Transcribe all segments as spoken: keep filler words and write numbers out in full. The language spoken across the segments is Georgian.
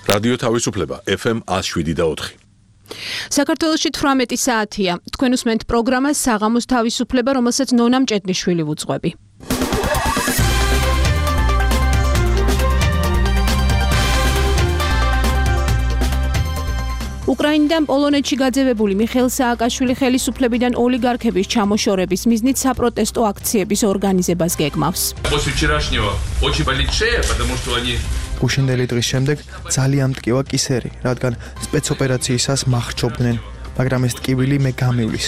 რადიო თავისუფლება ეფ ემ one oh seven და four. საქართველოში თვრამეტი საათია. თქვენ უსმენთ პროგრამას საღამოს თავისუფლება, რომელსაც ნონა მჭედლიშვილი ვუძღვები. უკრაინიდან პოლონეთში გაძევებული მიხეილ სააკაშვილი ხელისუფლებიდან ოლიგარქების ჩამოშორების მიზნით საპროტესტო აქციების ორგანიზებას გეგმავს. გუშინდელი დღის შემდეგ ძალიან მტკივა კისერი, რადგან სპეცოპერაციისას მახრჩობდნენ, მაგრამ ეს ტკივილი მე გამივლის.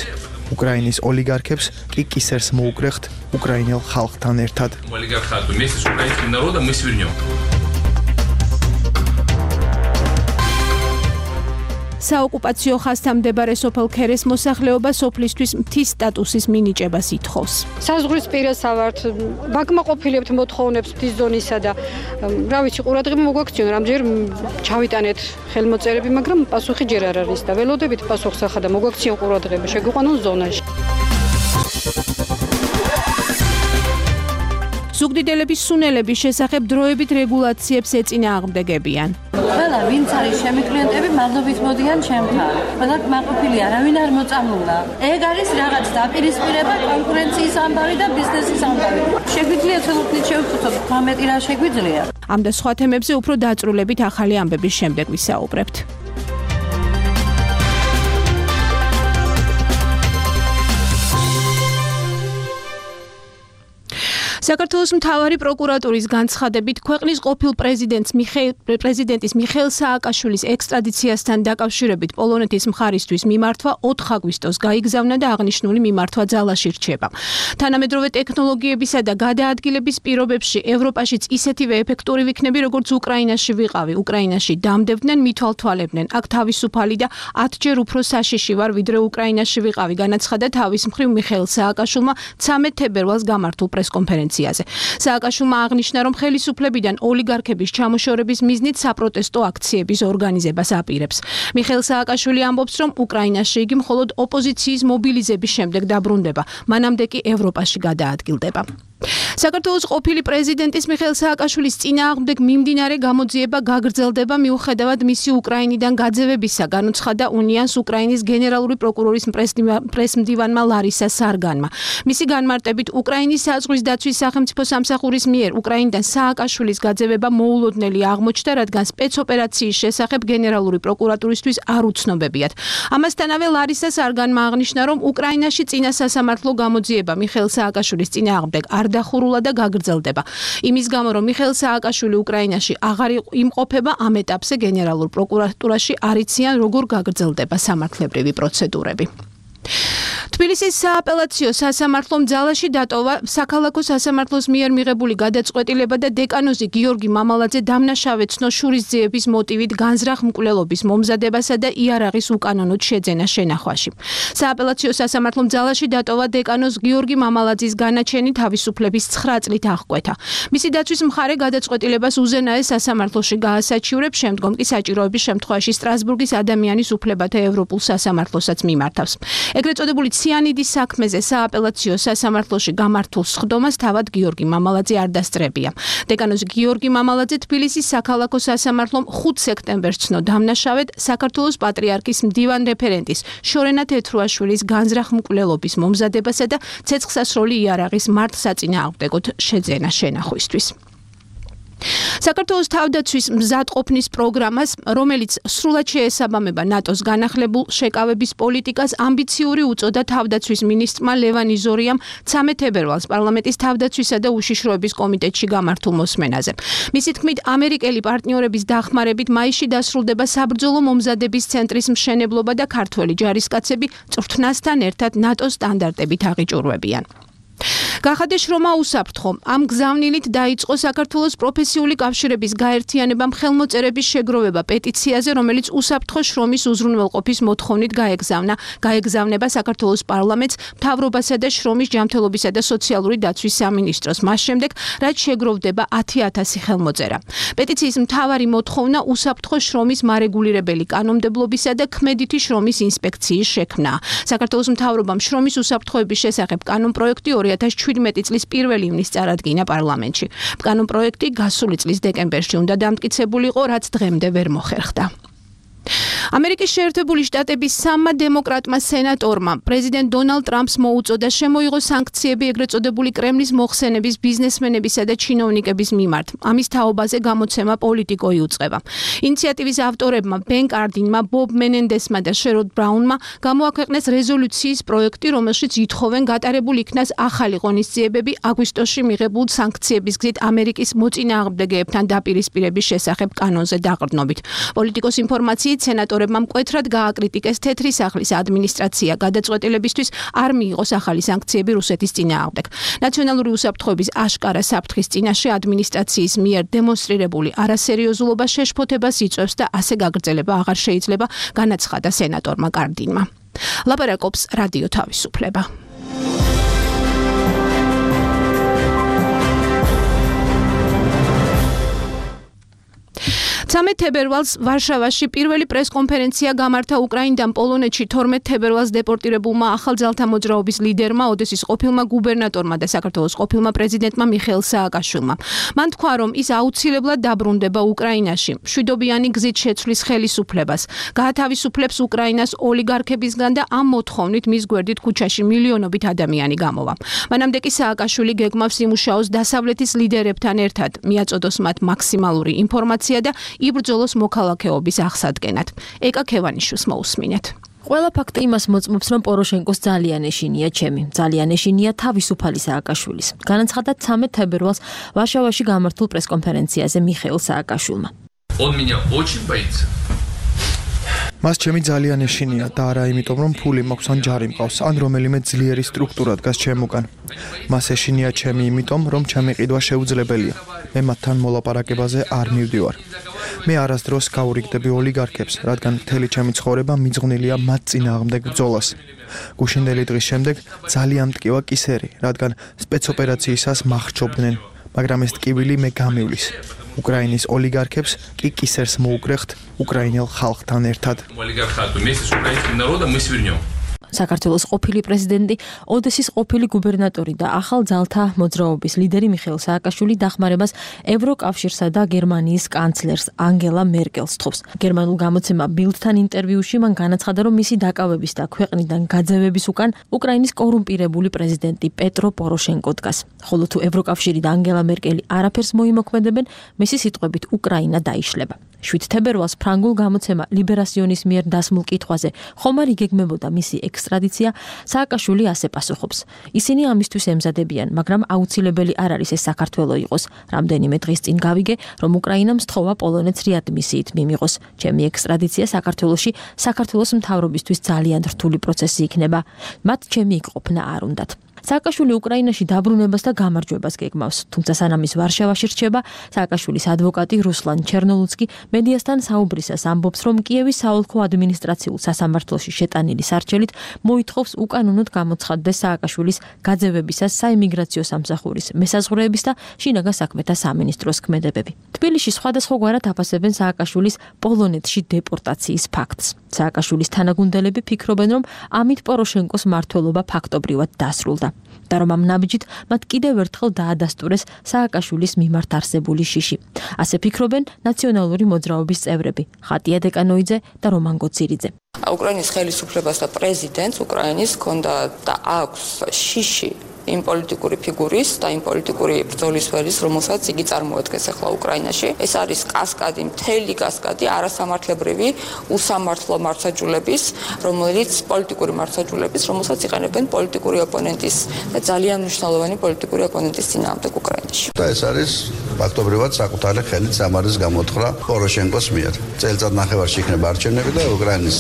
უკრაინის ოლიგარქებს კი კისერს მოუკრეხთ უკრაინელ ხალხთან ერთად. საოკუპაციო ხაზთან მდებარე სოფელ ქერეს მოსახლეობა სოფლისთვის მთის სტატუსის მინიჭებას ითხოვს. საზღვრისპირას ავართ, ვაკმაყოფილებთ მოთხოვნებს მთის ზონისა და რა ვიცი, ყურადღება მოგვაქციონ, რამდენჯერ ჩავიტანეთ ხელმოწერები, მაგრამ პასუხი ჯერ არ არის და ველოდებით პასუხს ახლა და მოგვაქციონ ყურადღება, შეგვიყვანონ ზონაში. ზუგდიდელების სუნელების შესახებ დროებით რეგულაციებს ეწინააღმდეგებიან. ყველა ვინც არის ჩემი კლიენტები მადლობით მოდიან ჩემთან. ყველა მაყოფილი არავინ არ მოწამულა. ეგ არის რაღაც დაპირისპირება კონკურენციის ამბავი და ბიზნესის ამბავი. შეგვიძლია თელოფნით შევხვდეთ, თვრამეტი რა შეგვიძლია. ამ და სხვა თემებზე უფრო დაწვრილებით ახალი ამბების შემდეგ ვისაუბრებთ. საქართველოს მთავარი პროკურატურის განცხადებით ქვეყნის ყოფილ პრეზიდენტს მიხეილ პრეზიდენტის მიხეილ სააკაშვილის ექსტრადიციასთან დაკავშირებით პოლონეთის მხარისთვის მიმართვა ოთხ აგვისტოს გაიგზავნა და აღნიშნული მიმართვა ძალაში რჩება. თანამედროვე ტექნოლოგიებისა და გადაადგილების პირობებში ევროპაშიც ისეთივე ეფექტური ვიქნები, როგორც უკრაინაში ვიყავი. უკრაინაში დამდებდნენ, მithვალთვალებდნენ. აქ თავისუფალი და ათჯერ უფრო საშიში ვარ, ვიდრე უკრაინაში ვიყავი, განაცხადა თავის მხრივ მიხეილ სააკაშვილმა ცამეტ თებერვალს გამართულ პრესკონფერენციაზე. სააკაშვილმა აღნიშნა, რომ ხელისუფლებიდან ოლიგარქების ჩამოშორების მიზნით საპროტესტო აქციების ორგანიზებას აპირებს. მიხეილ სააკაშვილი ამბობს, რომ უკრაინაში იგი მხოლოდ ოპოზიციის მობილიზების შემდეგ დაბრუნდება, მანამდე კი ევროპაში გადაადგილდება. საქართველოს ყოფილი პრეზიდენტის მიხეილ სააკაშვილის წინააღმდეგ მიმდინარე გამოძიება გაგრძელდება მიუხედავად მისი უკრაინიდან გაძევებისა, განუცხადა უნიანს უკრაინის გენერალური პროკურორის პრესმდივანმა ლარისა სარგანმა. მისი განმარტებით, უკრაინის საზღვრის დაცვის სახელმწიფო სამსახურის მიერ უკრაინიდან სააკაშვილის გაძევება მოულოდნელი აღმოჩნდა, რადგან სპეცოპერაციის შესახებ გენერალური პროკურატურისთვის არ უცნობებიათ. ამასთანავე ლარისა სარგანმა აღნიშნა, რომ უკრაინაში წინა სასამართლო გამოძიება მიხეილ სააკაშვილის წინააღმდეგ არ დახურულა და გაგრძელდება. იმის გამო, რომ მიხეილ სააკაშვილი უკრაინაში აღარ იმყოფება, ამ ეტაპზე გენერალურ პროკურატურაში არ იციან, როგორ გაგრძელდება სამართლებრივი პროცედურები. თბილისის სააპელაციო სასამართლომ ძალაში დატოვა საქალაქო სასამართლოს მიერ მიღებული გადაწყვეტილება და დეკანოზი გიორგი მამალაძე დამნაშავე ცნოშურის ძიების მოტივით განზრახ მკვლელობის მომზადებასა და იარაღის უკანონოდ შეძენა შენახვაში. სააპელაციო სასამართლომ ძალაში დატოვა დეკანოზ გიორგი მამალაძის განაჩენი თავისუფლების ცხრა წლით აღკვეთა. მისი დაცვის მხარე გადაწყვეტილებას უზენაეს სასამართლოში გაასაჩივრებს, შემდგომ კი საჭიროების შემთხვევაში სტრასბურგის ადამიანის უფლებათა ევროპულ სასამართლოსაც მიმართავს. ეგრეთ წოდებული ციანიდის საქმეზე სააპელაციო სასამართლოში გამართულ სხდომას თავად გიორგი მამალაძე არ დასწრებია. დეკანოზი გიორგი მამალაძე თბილისის საქალაქო სასამართლომ ხუთ სექტემბერს ცნო დამნაშავედ საქართველოს პატრიარქის მდივან რეფერენტის შორენა თეთრუაშვილის განზრახ მკვლელობის მომზადებასა და ცეცხლსასროლი იარაღის მართლსაწინააღმდეგოდ შეძენა შენახვისთვის. საქართველოს თავდაცვის მზადყოფნის პროგრამას, რომელიც სრულად შეესაბამება ნატოს განახლებულ შეკავების პოლიტიკას, ამბიციური უწოდა თავდაცვის მინისტრმა ლევან იზორიამ ცამეტ თებერვალს პარლამენტის თავდაცვისა და უშიშროების კომიტეტში გამართულ მოსმენაზე. მისი თქმით, ამერიკელი პარტნიორების დახმარებით მაისში დასრულდება საბრძოლო მომზადების ცენტრის მშენებლობა და ქართველი ჯარისკაცები წვრთნასთან ერთად ნატოს სტანდარტებით აღიჭურვებიან. გახადა შრომა უსაფრთხო. ამ გზავნილით დაიწყო საქართველოს პროფესიული კავშირების გაერთიანებამ ხელმოწერების შეგროვება პეტიციაზე, რომელიც უსაფრთხო შრომის უზრუნველყოფის მოთხოვნით გაეგზავნა. გაეგზავნება საქართველოს პარლამენტს, მთავრობასა და შრომის ჯანმრთელობისა და სოციალური დაცვის სამინისტროს. მას შემდეგ, რაც შეგროვდება ათი ათასი ხელმოწერა. პეტიციის მთავარი მოთხოვნა უსაფრთხო შრომის მარეგულირებელი კანონმდებლობისა და ქმედითი შრომის ინსპექციის შექმნა. საქართველოს მთავრობამ შრომის უსაფრთხოების შესახებ კანონპროექტი ორი ათას შვიდმეტი წლის პირველი ივნისს წარადგინა პარლამენტში. კანონპროექტი გასული წლის დეკემბერში უნდა დამტკიცებულიყო, რაც დღემდე ვერ მოხერხდა. ამერიკის შეერთებული შტატების სამმა დემოკრატმა სენატორმა პრეზიდენტ დონალდ ტრამპს მოუწოდა შემოიღო სანქციები ეგრეთ წოდებული კრემლის მოხსენების ბიზნესმენებისა და ჩინოვნიკების მიმართ. ამის თაობაზე გამოცემა პოლიტიკო იუწყება. ინიციატივის ავტორებმა ბენ კარდინმა, ბობ მენენდესმა და შეროდ ბრაუნმა გამოაქვეყნეს რეზოლუციის პროექტი, რომელშიც ითხოვენ გატარებულ იქნას ახალი ღონისძიებები აგვისტოში მიღებულ სანქციების გზით ამერიკის მოწინააღმდეგეებთან დაპირისპირების შესახებ კანონზე დაყრდნობით. პოლიტიკოს ინფორმაციით სენატორებმა მკვეთრად გააკრიტიკეს თეთრი სახლის ადმინისტრაცია გადაწყვეტილებისთვის არ მიიღოს ახალი სანქციები რუსეთის წინააღმდეგ. ნაციონალური უსაფრთხოების აშკარა საფრთხის წინაშე ადმინისტრაციის მიერ დემონსტრირებული არასერიოზულობა შეშფოთებას იწვევს და ასე გაგრძელება აღარ შეიძლება, განაცხადა სენატორმა კარდინმა. ლაპარაკობს რადიო თავისუფლება. ცამეტ თებერვალს ვარშავაში პირველი პრესკონფერენცია გამართა უკრაინიდან პოლონეთში თორმეტ თებერვალს დეპორტირებულმა ახალძალთა მოძრაობის ლიდერმა, ოდესის ყოფილმა გუბერნატორმა და საქართველოს ყოფილმა პრეზიდენტმა მიხეილ სააკაშვილმა. მან თქვა, რომ ის აუცილებლად დაბრუნდება უკრაინაში, მშვიდობიანი გზით შეცვლის ხელისუფლებას, გაათავისუფლებს უკრაინას ოლიგარქებისგან და ამ მოთხოვნით მის გვერდით ქუჩაში მილიონობით ადამიანი გამოვა. მანამდე კი სააკაშვილი გეგმავს იმუშაოს დასავლეთის ლიდერებთან ერთად, მიაწოდოს მათ მაქსიმალური ინფორმაცია და იბრძოლოს მოქალაქეობის აღსადგენად. ეკა ქევანიშვილს მოусმინეთ. ყველა ფაქტი იმას მოწმობს, რომ პოროშენკოს ძალიან ეშინია ჩემი. ძალიან ეშინია თავისუფალი სააკაშვილის. განაცხადა ცამეტ თებერვალს ვარშავაში გამართულ პრესკონფერენციაზე მიხეილ სააკაშვილმა. Он меня очень боится. მას ჩემი ძალიან ეშინია და არა იმიტომ, რომ ფული მაქვს ან ჯარი მყავს, ან რომელიმე ძლიერი სტრუქტურა დგას ჩემუგან. მას ეშინია ჩემი იმიტომ, რომ ჩემი ყიდვა შეუძლებელია. მე მათთან მოლაპარაკებაზე არ მივდივარ. მე არასდროს გავურიგდები ოლიგარქებს, რადგან მთელი ჩემი ცხოვრება მიძღვნილია მათ წინააღმდეგ ბრძოლას. გუშინდელი დღის შემდეგ ძალიან მტკივა კისერი, რადგან სპეცოპერაციისას მახრჩობდნენ, მაგრამ ეს ტკივილი მე გამივლის. უკრაინის ოლიგარქებს კი კისერს მოუკრეხთ უკრაინელ ხალხთან ერთად. საქართველოს ყოფილი პრეზიდენტი, ოდესის ყოფილი გუბერნატორი და ახალ ძალთა მოძრაობის ლიდერი მიხეილ სააკაშვილი დახმარებას ევროკავშირსა და გერმანიის კანცლერს ანგელა მერკელს თხოვს. გერმანულ გამოცემა ბილდთან ინტერვიუში მან განაცხადა, რომ მისი დაკავების და ქვეყნიდან გაძევების უკან უკრაინის კორუმპირებული პრეზიდენტი პეტრო პოროშენკო დგას. ხოლო თუ ევროკავშირი და ანგელა მერკელი არაფერს მოიმოქმედებენ, მისი სიტყვებით უკრაინა დაიშლება. შვიდ თებერვალს ფრანგულ გამოცემა ლიბერასიონის მიერ დასმულ კითხვაზე ხომ არ იგეგმებოდა მისი ექსტრადიცია, სააკაშვილი ასე პასუხობს. ისინი ამისთვის ემზადებიან, მაგრამ აუცილებელი არ არის ეს საქართველო იყოს. რამდენიმე დღის წინ გავიგე, რომ უკრაინამ სთხოვა პოლონეთს რეადმისიით მიმიღოს. ჩემი ექსტრადიცია საქართველოში საქართველოს მთავრობისთვის ძალიან რთული პროცესი იქნება. მათ ჩემი იქ-ყოფნა არ უნდათ. სააკაშვილი უკრაინაში დაბრუნებას და გამარჯვებას გეგმავს, თუმცა სანამ ის ვარშავაში რჩება, სააკაშვილის ადვოკატი რუსლან ჩერნოლუცკი მედიასთან საუბრისას ამბობს, რომ კიევის საოლქო ადმინისტრაციულ სასამართლოში შეტანილი სარჩელით მოითხოვს უკანონოდ გამოცხადდეს სააკაშვილის გაძევებისას საიმიგრაციო სამსახურის მესაზღვრეების და შინაგან საქმეთა სამინისტროს ქმედებები. თბილისში სხვადასხვაგვარად აფასებენ სააკაშვილის პოლონეთში დეპორტაციის ფაქტს. სააკაშვილის თანაგუნდელები ფიქრობენ, რომ ამით პოროშენკოს მმართველობა ფაქტობრივად დასრულდა. და რომ ამ ნაბიჯით მათ კიდევ ერთხელ დაადასტურეს სააკაშვილის მიმართ არსებული შიში. ასე ფიქრობენ ნაციონალური მოძრაობის წევრები ხატია დეკანოიძე და რომან გოცირიძე. უკრაინის ხელისუფლებას და პრეზიდენტს უკრაინის ჰქონდა და აქვს შიში იმ პოლიტიკური ფიგურის და იმ პოლიტიკური ბრძოლის ველის, რომელსაც იგი წარმოადგენს ახლა უკრაინაში. ეს არის კასკადი, მთელი კასკადი არასამართლებრივი უსამართლო მართლმსაჯულების, რომელიც პოლიტიკური მართლმსაჯულების, რომელსაც იყენებენ პოლიტიკური ოპონენტის და ძალიან მნიშვნელოვანი პოლიტიკური ოპონენტის წინააღმდეგ უკრაინაში. და ეს არის ფაქტობრივად საკუთარი ხელით სამარის გამოთხრა პოროშენკოს მიერ. წელიწად ნახევარში იქნება არჩევნები და უკრაინის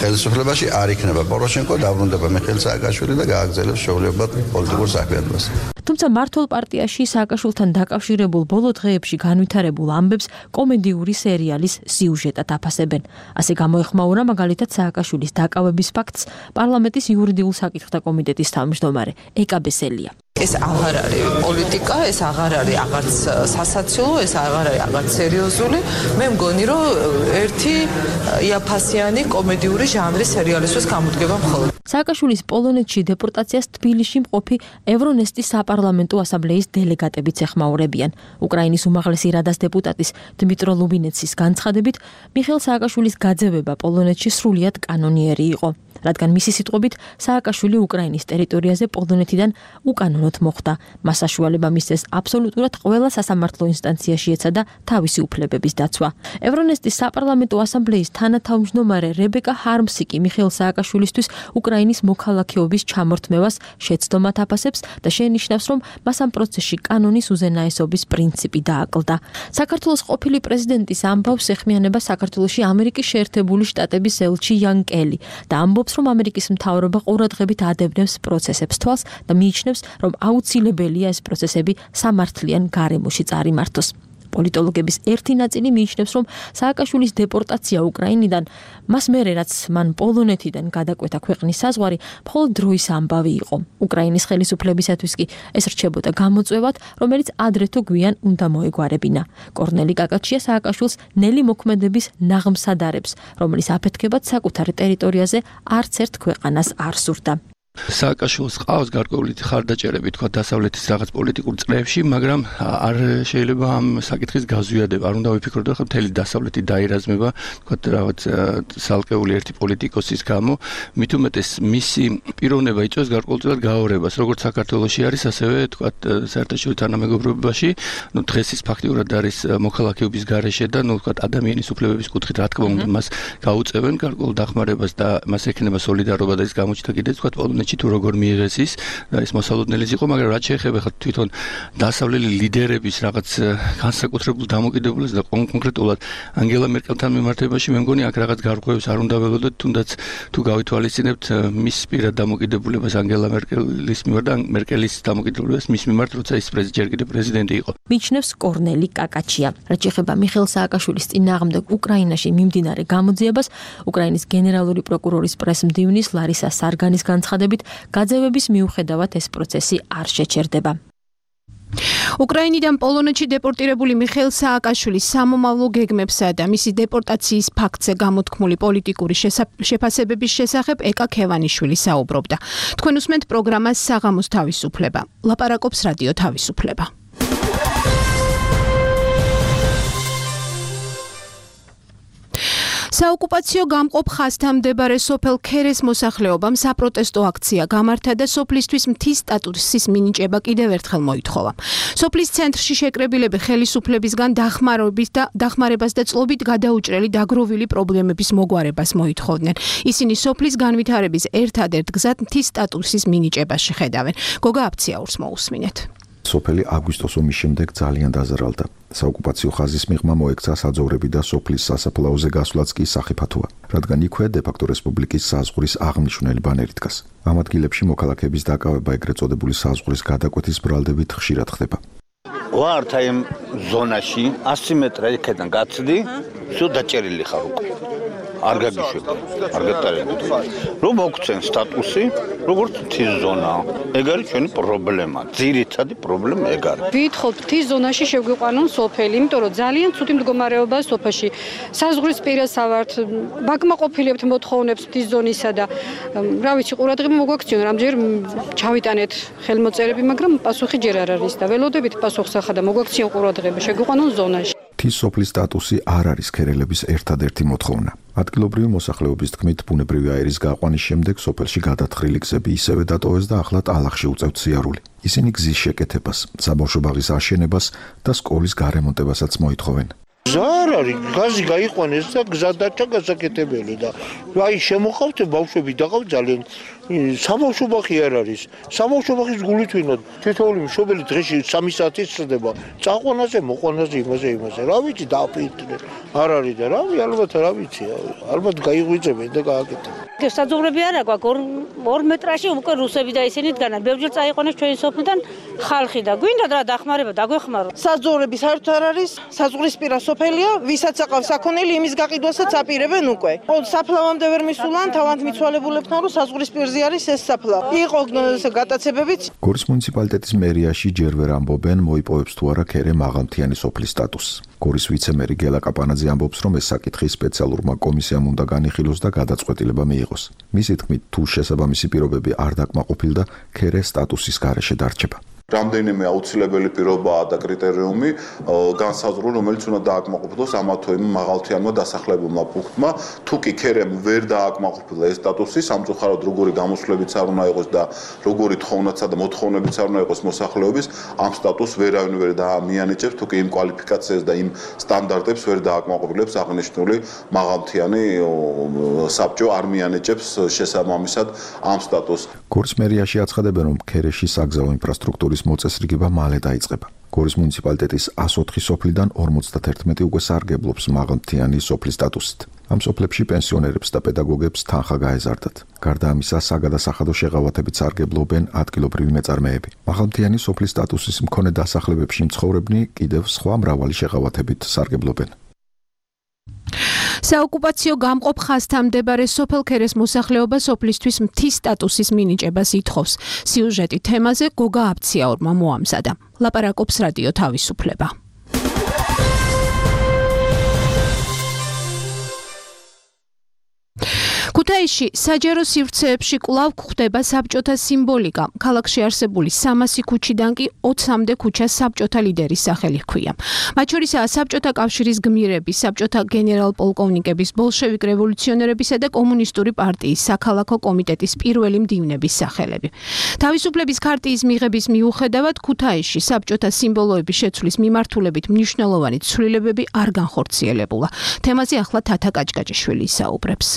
ხელისუფლებაში არ იქნება პოროშენკო, დაბრუნდება მიხეილ სააკაშვილი და გააგრძელებს შეუძლებლად პოლიტიკურ საქმიანობას. თუმცა მართლ პარტიაში სააკაშვილთან დაკავშირებულ ბოლო დღეებში განვითარებულ ამბებს კომედიური სერიალის სიუჟეტად აფასებენ. ასე გამოეხმაურა მაგალითად სააკაშვილის დაკავების ფაქტს პარლამენტის იურიდიულ საკითხთა კომიტეტის თავმჯდომარე ეკა ბესელია. ეს აღარ არის პოლიტიკა, ეს აღარ არის აღარც სასაცილო, ეს აღარ არის აღარც სერიოზული. მე მგონი, რომ ერთი იაფასიანი კომედიური ჟანრის სერიალისთვის გამოდგება მხოლოდ. სააკაშვილის პოლონეთში დეპორტაციას თბილისში მყოფი ევრონესტის საპარლამენტო ასამბლეის დელეგატებიც ეხმაურებიან. უკრაინის უმაღლესი რადას დეპუტატის დმიტრო ლუბინეცის განცხადებით, მიხეილ სააკაშვილის გაძევება პოლონეთში სრულიად კანონიერი იყო. რადგან მისი სიტყვებით სააკაშვილი უკრაინის ტერიტორიაზე პოლონეთიდან უკანონოდ მოხვდა. მას საშუალება მისცეს აბსოლუტურად ყველა სასამართლო ინსტანციაში ეცადა თავისი უფლებების დაცვა. ევრონესტის საპარლამენტო ასამბლეის თანათავმჯდომარე რებეკა ჰარმსი კი მიხეილ სააკაშვილისთვის უკრაინის მოქალაქეობის ჩამორთმევას შეცდომად აფასებს და შენიშნავს, რომ მას ამ პროცესში კანონის უზენაესობის პრინციპი დააკლდა. საქართველოს ყოფილი პრეზიდენტის ამბავს ეხმიანება საქართველოში ამერიკის შეერთებული შტატების ელჩი იან კელი და ამბობს, რომ ამერიკის მთავრობა ყურადღებით ადევნებს პროცესებს თვალს და მიიჩნევს, რომ აუცილებელია ეს პროცესები სამართლიან გარემოში წარიმართოს. პოლიტოლოგების ერთი ნაწილი მიიჩნევს, რომ სააკაშვილის დეპორტაცია უკრაინიდან მას მერე რაც მან პოლონეთიდან გადაკვეთა ქვეყნის საზღვარი, მხოლოდ დროის ამბავი იყო. უკრაინის ხელისუფლებისათვის კი ეს რჩებოდა გამოწვევად, რომელიც ადრე თუ გვიან უნდა მოეგვარებინა. კორნელი კაკაჩია სააკაშვილს ნელი მოქმედების ნაღმს ადარებს, რომელიც აფეთქებად საკუთარ ტერიტორიაზე არც ერთ ქვეყანას არ სურდა. სააკაშვილს ყავს გარკვეული ხარდაჭერები თქვა დასავლეთის რაღაც პოლიტიკურ წრეებში, მაგრამ არ შეიძლება ამ საკითხის გაზვიადება. არ უნდა ვიფიქროთ, რომ მთელი დასავლეთი დაირაზმება, თქვა რაღაც სალკეული ერთი პოლიტიკოსის გამო, მით უმეტეს მისი პიროვნება იწვევს გარკვეულწილად გაორებას, როგორც საქართველოში არის, ასევე თქვა საერთაშორისო თანამეგობრობაში, ნუ დღეს ის ფაქტიურად არის მოქალაქეობის გარეშე და ნუ თქვა ადამიანის უფლებების კუთხით რა თქმა უნდა მას გაუწევენ გარკვეულ დახმარებას და მას ექნება სოლიდარობა და ის გამოჩნდა კიდეც თქვა პოლონეთში თუ როგორ მიიღეს ის და ის მოსალოდნელიც იყო, მაგრამ რაც შეეხება ხა თვითონ დასავლელი ლიდერების რაღაც განსაკუთრებულ დამოკიდებულებას და კონკრეტულად ანგელა მერკელთან მიმართებაში მე მგონი აქ რაღაც გარღვევებს არ უნდა ველოდოთ, თუნდაც თუ გავითვალისწინებთ მის პირად დამოკიდებულებას ანგელა მერკელის მიმართ და მერკელის დამოკიდებულებას მის მიმართ, როცა ის ჯერ კიდევ პრეზიდენტი იყო. მიიჩნევს კორნელი კაკაჩია. რაც შეეხება მიხეილ სააკაშვილის წინააღმდეგ უკრაინაში მიმდინარე გამოძიებას, უკრაინის გენერალური პროკურორის პრესმდივნის ლარისა სარგანის განცხადებით, გაძევების მიუხედავად ეს პროცესი არ შეჩერდება. უკრაინიდან პოლონეთში დეპორტირებული მიხეილ სააკაშვილის სამომავლო გეგმებსა და მისი დეპორტაციის ფაქტზე გამოთქმული პოლიტიკური შეფასებების შესახებ ეკა ქევანიშვილი საუბრობდა. თქვენ უსმენთ პროგრამას საღამოს თავისუფლება. ლაპარაკობს რადიო თავისუფლება. საოკუპაციო გამყოფ ხაზთან მდებარე სოფელ ქერეს მოსახლეობამ საპროტესტო აქცია გამართა და სოფლისთვის მთის სტატუსის მინიჭება კიდევ ერთხელ მოითხოვა. სოფლის ცენტრში შეკრებილები ხელისუფლებისგან დახმარების და დახმარებას და წლობით გადაუჭრელი დაგროვილი პრობლემების მოგვარებას მოითხოვდნენ. ისინი სოფლის განვითარების ერთადერთ გზად მთის სტატუსის მინიჭებაში ხედავენ. გოგა აფციაურს მოусმინეთ. სოფელი აგვისტოს ომის შემდეგ ძალიან დაზარალდა. საოკუპაციო ხაზის მიღმა მოექცა საძოვრები და სოფლის სასაფლაოზე გასვლაც კი სახიფათოა, რადგან იქვე დე-ფაქტო რესპუბლიკის საზღვრის აღმნიშვნელი ბანერი დგას. ამ ადგილებში მოქალაქეების დაკავება ეგრეთ წოდებული საზღვრის გადაკვეთის ბრალდებით ხშირად ხდება. ვართ აი ამ ზონაში ასი მეტრა იქიდან გაცდი, სულ დაჭერილი ხარ უკვე. არ გაგიშვება, არ გატარებთ. რომ მოგცენ სტატუსი, როგორც მთის ზონა. ეგ არის ჩვენი პრობლემა. ძირითადი პრობლემა ეგ არის. ვითხოვთ მთის ზონაში შეგვიყვანონ სოფელი, იმიტომ რომ ძალიან ცუდი მდგომარეობაა სოფელში. საზღვრის პირას ავართ, ბაკმაყოფილებთ მოთხოვნებს მთის ზონისა და რა ვიცი, ყურადღება მოგვაქციონ, რამდენჯერ ჩავიტანეთ ხელმოწერები, მაგრამ პასუხი ჯერ არ არის და ველოდებით პასუხს ახლა და მოგვაქციონ ყურადღება, შეგვიყვანონ ზონაში. მთის სოფლის სტატუსი არ არის ქერელების ერთადერთი მოთხოვნა. ადგილობრივი მოსახლეობის თქმით, ბუნებრივი აირის გაყვანის შემდეგ სოფელში გადათხრილი გზები ისევე დატოვეს და ახლა ტალახში უწევთ სიარული. ისინი გზის შეკეთებას, საბავშვო ბაღის აშენებას და სკოლის გარემონტებასაც მოითხოვენ. ზარ არის, გაზი გაიყვანეს და გზა დაჭა გასაკეთებელი და აი შემოხავთ ბავშვები დაღავ ძალიან საბავშვო ბაღი არ არის. საბავშვო ბაღის გულით ვინოთ, თითოეული მშობელი დღეში სამი საათი სწდება. წაყვანაზე, მოყვანაზე, იმაზე, იმაზე. რა ვიცი, დააფინტნენ. არ არის და რავი, ალბათ რა ვიცი, ალბათ გაიღვიძებენ და გააკეთებენ. საძოვრები არა გვაქვს, ორ მეტრაში უკვე რუსები და ისინი დგანან. ბევრჯერ წაიყვანეს ჩვენი სოფლიდან ხალხი და გვინდა რა დახმარება დაგვეხმარო. საძოვრები საერთოდ არ არის, საზღვრისპირა სოფელია, ვისაც აყავს საქონელი, იმის გაყიდვასაც აპირებენ უკვე. საფლავამდე ვერ მისულან, თავად მიცვალებულებთან რომ საზღვრისპირზე არის ეს საფლავი. იყო გატაცებებიც. გორის მუნიციპალიტეტის მერიაში ჯერ ვერ ამბობენ, მოიპოვებს თუ არა ქერე მაღალმთიანი სოფლის სტატუსს. გორის ვიცემერი გელა კაპანაძე ამბობს, რომ ეს საკითხი სპეციალურმა კომისიამ უნდა განიხილოს და გადაწყვეტილება მიიღოს. იყოს. მისი თქმით, თუ შესაბამისი პირობები არ დაკმაყოფილდა, ქერე სტატუსის გარეშე დარჩება. რამდენიმე აუცილებელი პირობაა და კრიტერიუმი განსაზღვრული, რომელიც უნდა დააკმაყოფილოს ამა თუ იმ მაღალმთიანმა დასახლებულმა პუნქტმა. თუ კი ქერემ ვერ დააკმაყოფილა ეს სტატუსი, სამწუხაროდ როგორი გამოსვლებიც არ უნდა იყოს და როგორი თხოვნაცა და მოთხოვნებიც არ უნდა იყოს მოსახლეობის, ამ სტატუსს ვერავინ ვერ დაამიანიჭებს, თუ კი იმ კვალიფიკაციას და იმ სტანდარტებს ვერ დააკმაყოფილებს აღნიშნული მაღალმთიანი საბჭო არ მიანიჭებს შესაბამისად ამ სტატუსს. გორის მერიაში აცხადებენ, რომ ქერეში საგზაო ინფრასტრუქტურის მოწესრიგება მალე დაიწყება. გორის მუნიციპალიტეტის ას ოთხი სოფლიდან ორმოცდაათერთმეტი უკვე სარგებლობს მაღალმთიანი სოფლის სტატუსით. ამ სოფლებში პენსიონერებს და პედაგოგებს თანხა გაეზარდათ. გარდა ამისა, საგადასახადო შეღავათებით სარგებლობენ ადგილობრივი მეწარმეები. მაღალმთიანი სოფლის სტატუსის მქონე დასახლებებში მცხოვრებნი კიდევ სხვა მრავალი შეღავათებით სარგებლობენ. საოკუპაციო გამყოფ ხაზთან მდებარე სოფელ ქერეს მოსახლეობა სოფლისთვის მთის სტატუსის მინიჭებას ითხოვს. სიუჟეტი თემაზე გოგა აბციაურმა მოამზადა. ლაპარაკობს რადიო თავისუფლება. ქუთაისში საჯარო სივრცეებში კვლავ გვხვდება საბჭოთა სიმბოლიკა. ქალაქში არსებული სამასი ქუჩიდან კი ოცამდე ქუჩას საბჭოთა ლიდერის სახელი ჰქვია. მათ შორისაა საბჭოთა კავშირის გმირების, საბჭოთა გენერალ-პოლკოვნიკების, ბოლშევიკ რევოლუციონერებისა და კომუნისტური პარტიის საქალაქო კომიტეტის პირველი მდივნების სახელები. თავისუფლების ქარტიის მიღების მიუხედავად ქუთაისში საბჭოთა სიმბოლოების შეცვლის მიმართულებით მნიშვნელოვანი ცვლილებები არ განხორციელებულა. თემაზე ახლა თათა კაჭკაჭიშვილი ისაუბრებს.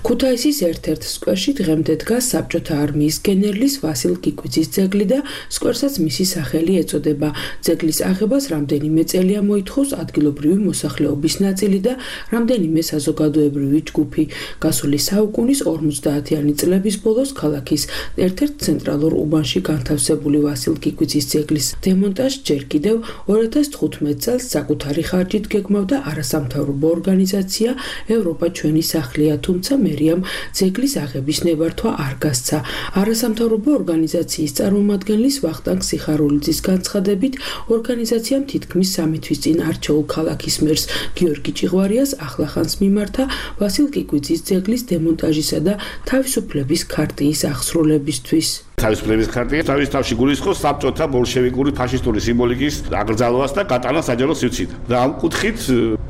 ქუთაისის ერთ-ერთ სკვერში დღემდე დგას საბჭოთა არმიის გენერლის ვასილ კიკვიძის ძეგლი და სკვერსაც მისი სახელი ეწოდება. ძეგლის აღებას რამდენიმე წელია მოითხოვს ადგილობრივი მოსახლეობის ნაწილი და რამდენიმე საზოგადოებრივი ჯგუფი. გასული საუკუნის ორმოცდაათიანი წლების ბოლოს ქალაქის ერთ-ერთ ცენტრალურ უბანში განთავსებული ვასილ კიკვიძის ძეგლის დემონტაჟს ჯერ კიდევ ორი ათას თხუთმეტ წელს საკუთარი ხარჯით გეგმავდა არასამთავრობო ორგანიზაცია ევროპა ჩვენი სახლია, თუმცა მერიამ ძეგლის აღების ნებართვა არ გასცა. არასამთავრობო ორგანიზაციის წარმომადგენლის ვახტანგ სიხარულიძის განცხადებით, ორგანიზაციამ თითქმის სამი თვის წინ არჩეულ ქალაქის მერს გიორგი ჭიღვარიას ახლახანს მიმართა ვასილ კიკვიძის ძეგლის დემონტაჟისა და თავისუფლების ქარტიის აღსრულებისთვის. თავისუფლების ქარტია თავის თავში გულისხმობს საბჭოთა ბოლშევიკური ფაშისტური სიმბოლიკის აგრძალვას და გატანას საჯარო სივრციდან. და ამ კუთხით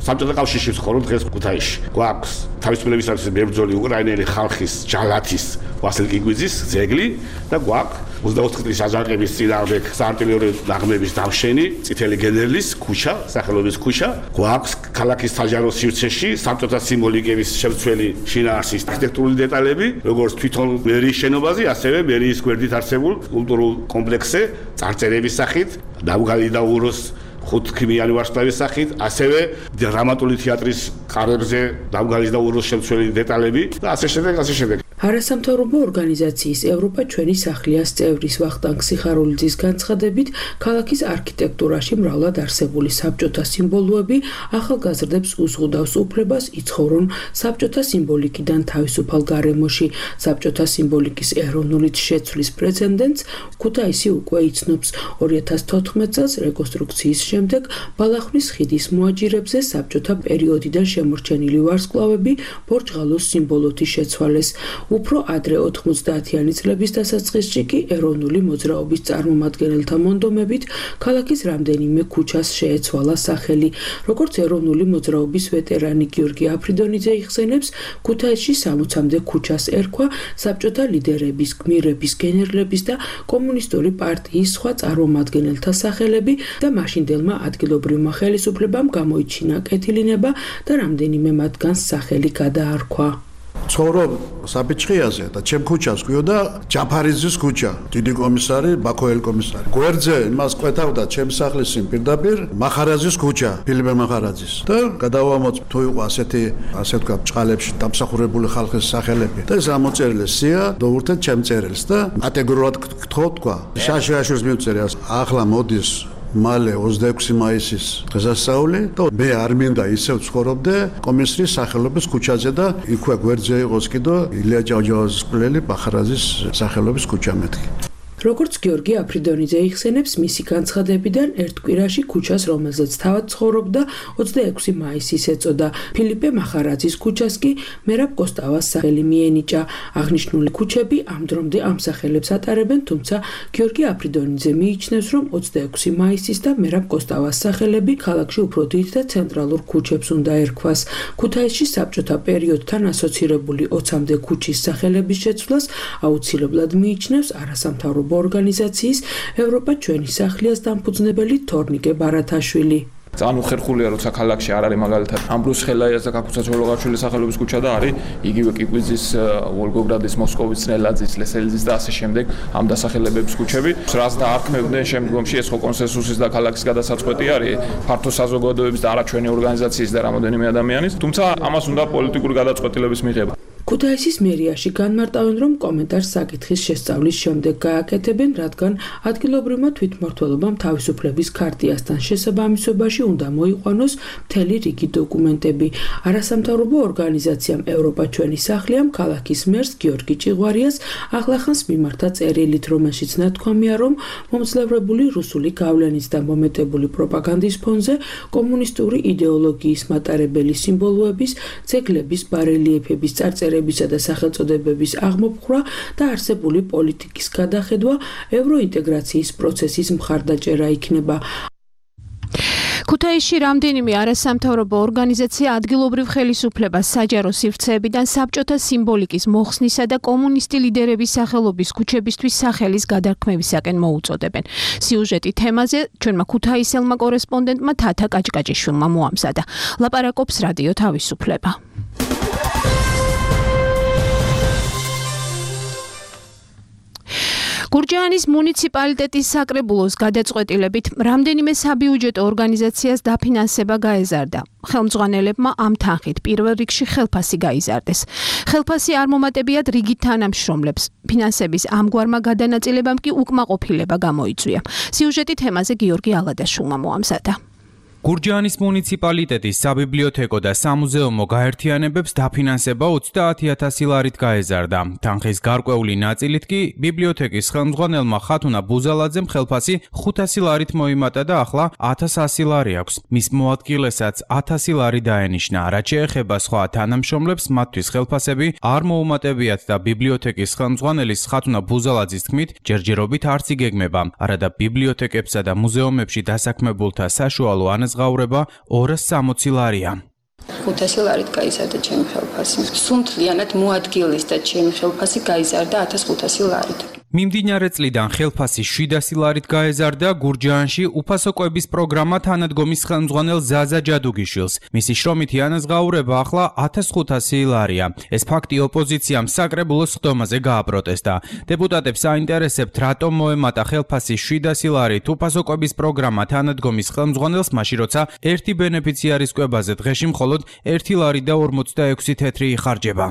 საბჭოთა კავშირში ვცხოვრობ დღეს ქუთაისში. გვაქვს თავისუფლებისათვის მებრძოლი უკრაინელი ხალხის ჯალათის ვასილ კიკვიძის ძეგლი და გვაქვს ოცდაოთხი წლის აჯანყების წინააღმდეგ საარტილერიო ნაღმების დამშენი წითელი გენერლის ქუჩა, სახელობის ქუჩა. გვაქვს ქალაქის საჯარო სივრცეში საბჭოთა სიმბოლიკების შემცველი შინაარსის არქიტექტურული დეტალები, როგორც თვითონ მერიის შენობაზე, ასევე მერიის გვერდით არსებულ კულტურულ კომპლექსზე, წარწერების სახით, დავგალი და უროს ხუთქიმიანი ვარსკვლავის სახით, ასევე დრამატული თეატრის კარებზე დავგალის და უროს შემცველი დეტალები და ასე შემდეგ, ასე შემდეგ. არასამთავრობო ორგანიზაციის ევროპა ჩვენი სახლიას წევრის ვახტანგ სიხარულიძის განცხადებით, ქალაქის არქიტექტურაში მრავლად არსებული საბჭოთა სიმბოლოები ახალგაზრდებს უზღუდავს უფლებას იცხოვრონ საბჭოთა სიმბოლიკიდან თავისუფალ გარემოში. საბჭოთა სიმბოლიკის ეროვნული შეცვლის პრეცედენტს ქუთაისი უკვე იცნობს. ორი ათას თოთხმეტ წელს რეკონსტრუქციის შემდეგ ბალახვნის ხიდის მოაჯირებზე საბჭოთა პერიოდიდან შემორჩენილი ვარსკვლავები ბორჯღალოს სიმბოლოთი შეცვალეს. უფრო ადრე ოთხმოცდაათიანი წლების დასაწყისში კი ეროვნული მოძრაობის წარმომადგენელთა მონდომებით ქალაქის რამდენიმე ქუჩას შეეცვალა სახელი. როგორც ეროვნული მოძრაობის ვეტერანი გიორგი აფრიდონიძე იხსენებს, ქუთაისში სამოცამდე ქუჩას ერქვა საბჭოთა ლიდერების, გმირების, გენერლების და კომუნისტური პარტიის სხვა წარმომადგენელთა სახელები და მაშინდელმა ადგილობრივმა ხელისუფლებამ გამოიჩინა კეთილინება და რამდენიმე მათგანს სახელი გადაარქვა. ცხოვრობ საბიჭხიაზე და ჩემ ქუჩას გვიოდა ჯაფარიძის ქუჩა, დიდი კომისარი, ბაქოელ კომისარი. გვერდზე იმას ყვეთავდა ჩემ სახლის წინ პირდაპირ მახარაძის ქუჩა, ფილიპე მახარაძის. და გადავამოწ თუ იყო ასეთი, ასე თქვა, ბჭყალებში დამსახურებული ხალხის სახელები. და ეს ამოწერილი სია დოურთეთ ჩემ წერილს და კატეგორიულად გთხოვ თქვა. შაშაშურს მივწერე. ახლა მოდის მალე ოცდაექვსი მაისის დღესასწაული და მე არ მინდა ისევ ცხოვრობდე კომისრის სახელობის ქუჩაზე და იქვე გვერდზე იყოს კიდო ილია ჭავჭავაძის მკვლელი მახარაძის სახელობის ქუჩა მეთქი. როგორც გიორგი აფრიდონიძე იხსენებს, მისი განცხადებიდან ერთ კვირაში ქუჩას, რომელზეც თავად ცხოვრობდა, ოცდაექვსი მაისის ეწოდა. ფილიპე მახარაძის ქუჩას კი მერაბ კოსტავას სახელი მიენიჭა. აღნიშნული ქუჩები ამ დრომდე ამ სახელებს ატარებენ, თუმცა გიორგი აფრიდონიძე მიიჩნევს, რომ ოცდაექვსი მაისის და მერაბ კოსტავას სახელები ქალაქში უფრო დიდ და ცენტრალურ ქუჩებს უნდა ერქვას. ქუთაისში საბჭოთა პერიოდთან ასოცირებული ოცამდე ქუჩის სახელების შეცვლას აუცილებლად მიიჩნევს არასამთავრობო ორგანიზაციის ევროპა ჩვენი სახლიას დამფუძნებელი თორნიკე ბარათაშვილი. ძალიან უხერხულია, როცა ქალაქში არ არის მაგალითად ამბრუს ხელაიას და კაკუცა ჩოლოღაშვილის სახელობის ქუჩა და არის იგივე კიკვიძის, ვოლგოგრადის, მოსკოვის, ნელაძის, ლესელიძის და ასე შემდეგ ამ დასახელებების ქუჩები. რაც დაარქმევდნენ შემდგომში ეს ხო კონსენსუსის და ქალაქის გადასაწყვეტი არის ფართო საზოგადოების და არა ჩვენი ორგანიზაციის და რამოდენიმე ადამიანის, თუმცა ამას უნდა პოლიტიკური გადაწყვეტილების მიღება. ქუთაისის მერიაში განმარტავენ, რომ კომენტარს საკითხის შესწავლის შემდეგ გააკეთებენ, რადგან ადგილობრივმა თვითმმართველობამ თავისუფლების ქარტიასთან შესაბამისობაში უნდა მოიყვანოს მთელი რიგი დოკუმენტები. არასამთავრობო ორგანიზაციამ ევროპა ჩვენი სახლიამ ქალაქის მერს გიორგი ჭიღვარიას ახლახანს მიმართა წერილით, რომელშიც ნათქვამია, რომ მომძლევრებული რუსული გავლენის და მომეტებული პროპაგანდის ფონზე კომუნისტური იდეოლოგიის მატარებელი სიმბოლოების, ძეგლების, ბარელიეფების წარწერები და სახელწოდებების აღმოფხვრა და არსებული პოლიტიკის გადახედვა ევროინტეგრაციის პროცესის მხარდაჭერა იქნება. ქუთაისში რამდენიმე არასამთავრობო ორგანიზაცია ადგილობრივ ხელისუფლებას საჯარო სივრცეებიდან საბჭოთა სიმბოლიკის მოხსნისა და კომუნისტი ლიდერების სახელობის ქუჩებისთვის სახელის გადარქმევისაკენ მოუწოდებენ. სიუჟეტი თემაზე ჩვენმა ქუთაისელმა კორესპონდენტმა თათა კაჭკაჭიშვილმა მოამზადა. ლაპარაკობს რადიო თავისუფლება. გურჯაანის მუნიციპალიტეტის საკრებულოს გადაწყვეტილებით რამდენიმე საბიუჯეტო ორგანიზაციას დაფინანსება გაეზარდა. ხელმძღვანელებმა ამ თანხით პირველ რიგში ხელფასი გაიზარდეს. ხელფასი არ მომატებიათ რიგით თანამშრომლებს. ფინანსების ამგვარმა გადანაწილებამ კი უკმაყოფილება გამოიწვია. სიუჟეტი თემაზე გიორგი ალადაშვილმა მოამზადა. გურჯაანის მუნიციპალიტეტის საბიბლიოთეკო და სამუზეუმო გაერთიანებებს დაფინანსება ოცდაათი ათასი ლარით გაეზარდა. თანხის გარკვეული ნაწილით კი ბიბლიოთეკის ხელმძღვანელმა ხათუნა ბუზალაძემ ხელფასი ხუთასი ლარით მოიმატა და ახლა ათას ასი ლარი აქვს. მის მოადგილესაც ათასი ლარი დაენიშნა. რაც შეეხება სხვა თანამშრომლებს, მათთვის ხელფასები არ მოუმატებიათ და ბიბლიოთეკის ხელმძღვანელის ხათუნა ბუზალაძის თქმით, ჯერჯერობით არც იგეგმება. არადა ბიბლიოთეკებსა და მუზეუმებში დასაქმებულთა საშუალო ანაზღაურება ორას სამოცი ლარია. ხუთასი ლარით გაიზარდა ჩემი ხელფასი. სუნთლიანად მოადგილის და ჩემი ხელფასი გაიზარდა ათას ხუთასი ლარით. მიმდინარე წლიდან ხელფასი შვიდასი ლარით გაეზარდა გურჯაანში უფასო კვების პროგრამა თანადგომის ხელმძღვანელ ზაზა ჯადუგიშვილს. მისი შრომითი ანაზღაურება ახლა ათას ხუთასი ლარია. ეს ფაქტი ოპოზიციამ საკრებულოს ხდომაზე გააპროტესტა. დეპუტატებს აინტერესებთ, რატომ მოემატა ხელფასი შვიდასი ლარით უფასო კვების პროგრამა თანადგომის ხელმძღვანელს, მაშინ როცა ერთი ბენეფიციარის კვებაზე დღეში მხოლოდ ერთი ლარი და ორმოცდაექვსი თეთრი იხარჯება.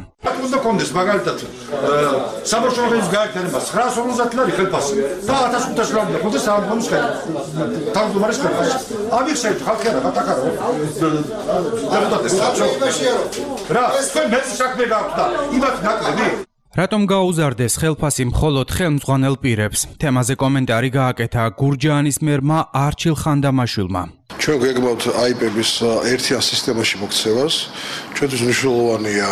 უნდა კონდეს მაგალითად საბავშვოების გაერთიანებას ცხრაას ორმოცდაათი ლარი ხელფასი და ათას ხუთასი ლარი და კონდეს სამგომის ხელფასი. თავმჯდომარის ხელფასი. ამიხსენეთ ხალხი არა გატაკარო. დეპუტატებს რა, თქვენ მეც საქმე გაქვთ და იმათ ნაკლები? რატომ გაუზარდეს ხელფასი მხოლოდ ხელმძღვანელ პირებს? თემაზე კომენტარი გააკეთა გურჯაანის მერმა არჩილ ხანდამაშვილმა. ჩვენ გვეგმავთ აიპების ერთიან სისტემაში მოქცევას. ჩვენთვის მნიშვნელოვანია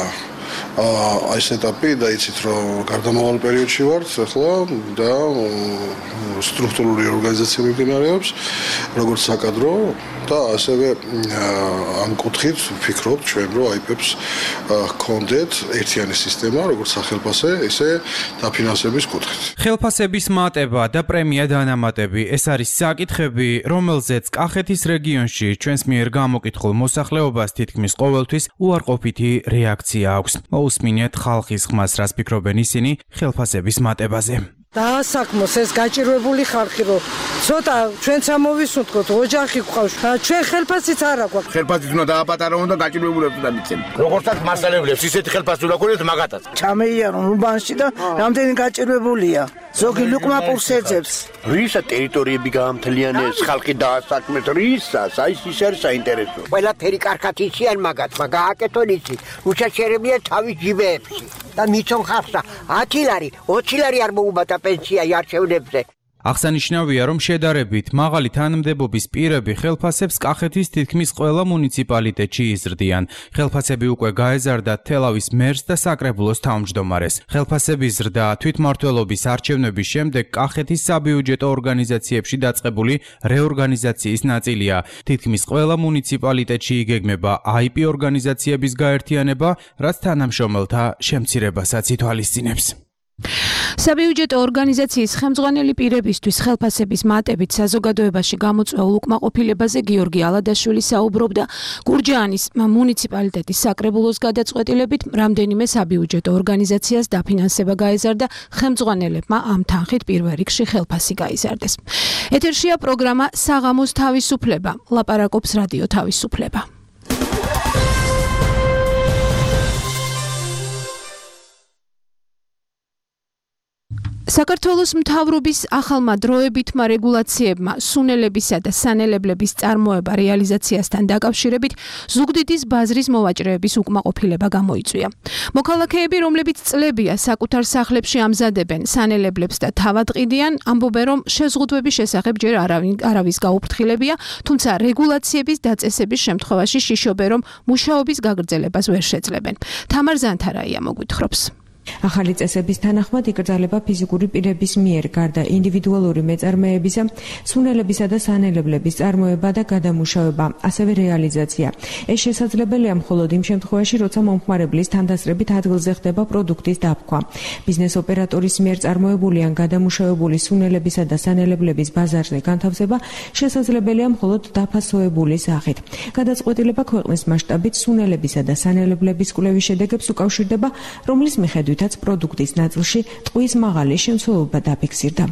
აი ეს ეტაპი და იცით რომ გარდამავალ პერიოდში ვართ ახლა და სტრუქტურული ორგანიზაცია მიმდინარეობს როგორც საკადრო და ასევე ამ კუთხით ვფიქრობთ ჩვენ რომ აიპებს ჰქონდეთ ერთიანი სისტემა როგორც სახელფასე ისე დაფინანსების კუთხით. ხელფასების მატება და პრემია დანამატები ეს არის საკითხები, რომელზეც კახეთის რეგიონში ჩვენს მიერ გამოკითხულ მოსახლეობას თითქმის ყოველთვის უარყოფითი რეაქცია აქვს. მოусმინეთ ხალხის ხმას, რას ფიქრობენ ისინი ხელფასების მატებაზე. დაასაქმოს ეს გაჭირვებული ხალხი, რომ ცოტა ჩვენც ამოვისუნთქოთ, ოჯახი გვყავს. ჩვენ ხელფასიც არ აქვს. ხელფასიც უნდა დააპატარავონ და გაჭირვებულებს უნდა მიცემ. როგორცაც მასალებლებს ისეთი ხელფასი უნდა ქონდეს მაგათაც. ჩამეიარონ უბანში და რამდენი გაჭირვებულია. ზოგი ლუკმაპურს ეძებს. რისა ტერიტორიები გაამთლიანეს, ხალხი დაასაქმეს, რისას, აი ის არის საინტერესო. ყველაფერი კარგად იციან მაგათმა, გააკეთონ იცი. რუცა შერებია თავის ჯიბეებში. და მიცონ ხალხს ათი ლარი, ოცი ლარი არ მოუბადა პენსია არჩევნებზე. აღსანიშნავია, რომ შედარებით მაღალი თანამდებობის პირები ხელფასებს კახეთის თითქმის ყველა მუნიციპალიტეტში იზრდიან. ხელფასები უკვე გაეზარდა თელავის მერს და საკრებულოს თავმჯდომარეს. ხელფასების ზრდა თვითმმართველობის არჩევნების შემდეგ კახეთის საბიუჯეტო ორგანიზაციებში დაწყებული რეორგანიზაციის ნაწილია. თითქმის ყველა მუნიციპალიტეტში იგეგმება აი პი ორგანიზაციების გაერთიანება, რაც თანამშრომელთა შემცირებასაც ითვალისწინებს. საბიუჯეტო ორგანიზაციის ხელმძღვანელი პირებისთვის ხელფასების მატებით საზოგადოებაში გამოწვეულ უკმაყოფილებაზე გიორგი ალადაშვილი საუბრობდა გურჯაანის მუნიციპალიტეტის საკრებულოს გადაწყვეტილებით. რამდენიმე საბიუჯეტო ორგანიზაციას დაფინანსება გაეზარდა, ხელმძღვანელებმა ამ თანხით პირველ რიგში ხელფასი გაიზარდეს. ეთერშია პროგრამა საღამოს თავისუფლება, ლაპარაკობს რადიო თავისუფლება. საქართველოს მთავრობის ახალმა დროებითმა რეგულაციებმა სუნელებისა და სანელებლების წარმოება რეალიზაციასთან დაკავშირებით ზუგდიდის ბაზრის მოვაჭრეების უკმაყოფილება გამოიწვია. მოქალაქეები, რომლებიც წლებია საკუთარ სახლებში ამზადებენ სანელებლებს და თავად ყიდიან, ამბობენ, რომ შეზღუდვების შესახებ ჯერ არავის გაუფრთხილებია, თუმცა რეგულაციების დაწესების შემთხვევაში შიშობენ, რომ მუშაობის გაგრძელებას ვერ შეძლებენ. თამარ ზანთარაია მოგვითხრობს. ახალი წესების თანახმად იკრძალება ფიზიკური პირების მიერ გარდა ინდივიდუალური მეწარმეებისა, სუნელებისა და სანელებლების წარმოება და გადამუშავება, ასევე რეალიზაცია. ეს შესაძლებელია მხოლოდ იმ შემთხვევაში, როცა მომხმარებლის თანდასწრებით ადგილზე ხდება პროდუქტის დაფქვა. ბიზნეს ოპერატორის მიერ წარმოებული ან გადამუშავებული სუნელებისა და სანელებლების ბაზარზე განთავსება შესაძლებელია მხოლოდ დაფასოებული სახით. გადაწყვეტილება ქვეყნის მასშტაბით სუნელებისა და სანელებლების კვლევის შედეგებს უკავშირდება, რომლის მიხედვით თაც პროდუქტის ნაწილში ტყვის მაღალი შემცველობა დაფიქსირდა.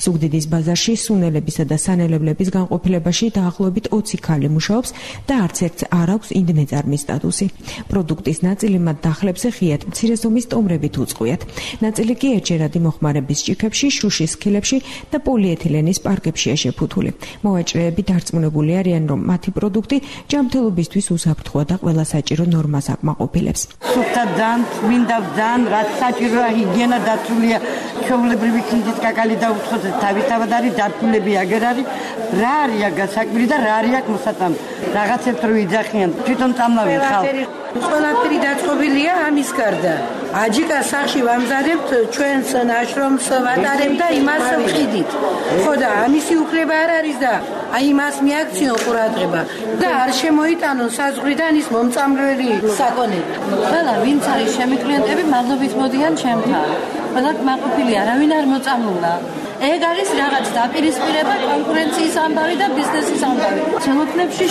ზუგდიდის ბაზარში სუნელებისა და სანელებლების განყოფილებაში დაახლოებით ოცი ქალი მუშაობს და არც ერთს არ აქვს ინდმეწარმის სტატუსი. პროდუქტის ნაწილი მათ დახლებზე ღიად მცირე ზომის ტომრებით უწყყვიათ. ნაწილი კი ერთჯერადი მოხმარების ჭიქებში, შუშის სქილებში და პოლიეთილენის პარკებშია შეფუთული. მოვაჭრეები დარწმუნებული არიან, რომ მათი პროდუქტი ჯანმრთელობისთვის უსაფრთხოა და ყველა საჭირო ნორმას აკმაყოფილებს. სუფთა ძალიან მინდა ძალიან რაც საჭიროა ჰიგიენა დაცულია, ჩვეულებრივი ქინძით კაკალი დაუცხოთ, თავისთავად არის დარწმუნებული აგერ არის, რა არის გასაკვირი და რა არის მოსატან. რაღაცებს რო იძახიან, თვითონ წამლავენ ხალხი. ყველაფერი დაწყობილია ამის გარდა. აჯიკა სახში ვამზადებთ ჩვენს ნაშრომს ვატარებ და იმას ვყიდით. ხო და ამისი უფლება არ არის და აი იმას მიაქციონ ყურადღება და არ შემოიტანონ საზღვრიდან ის მომწამლელი საკონები. ყველა ვინც არის ჩემი კლიენტები მადლობით მოდიან ჩემთან. ყველა მაყოფილი არავინ არ მოწამლულა. ეგ არის რაღაც დაპირისპირება, კონკურენციის ამბავი და ბიზნესის ამბავი. ცელოფნებში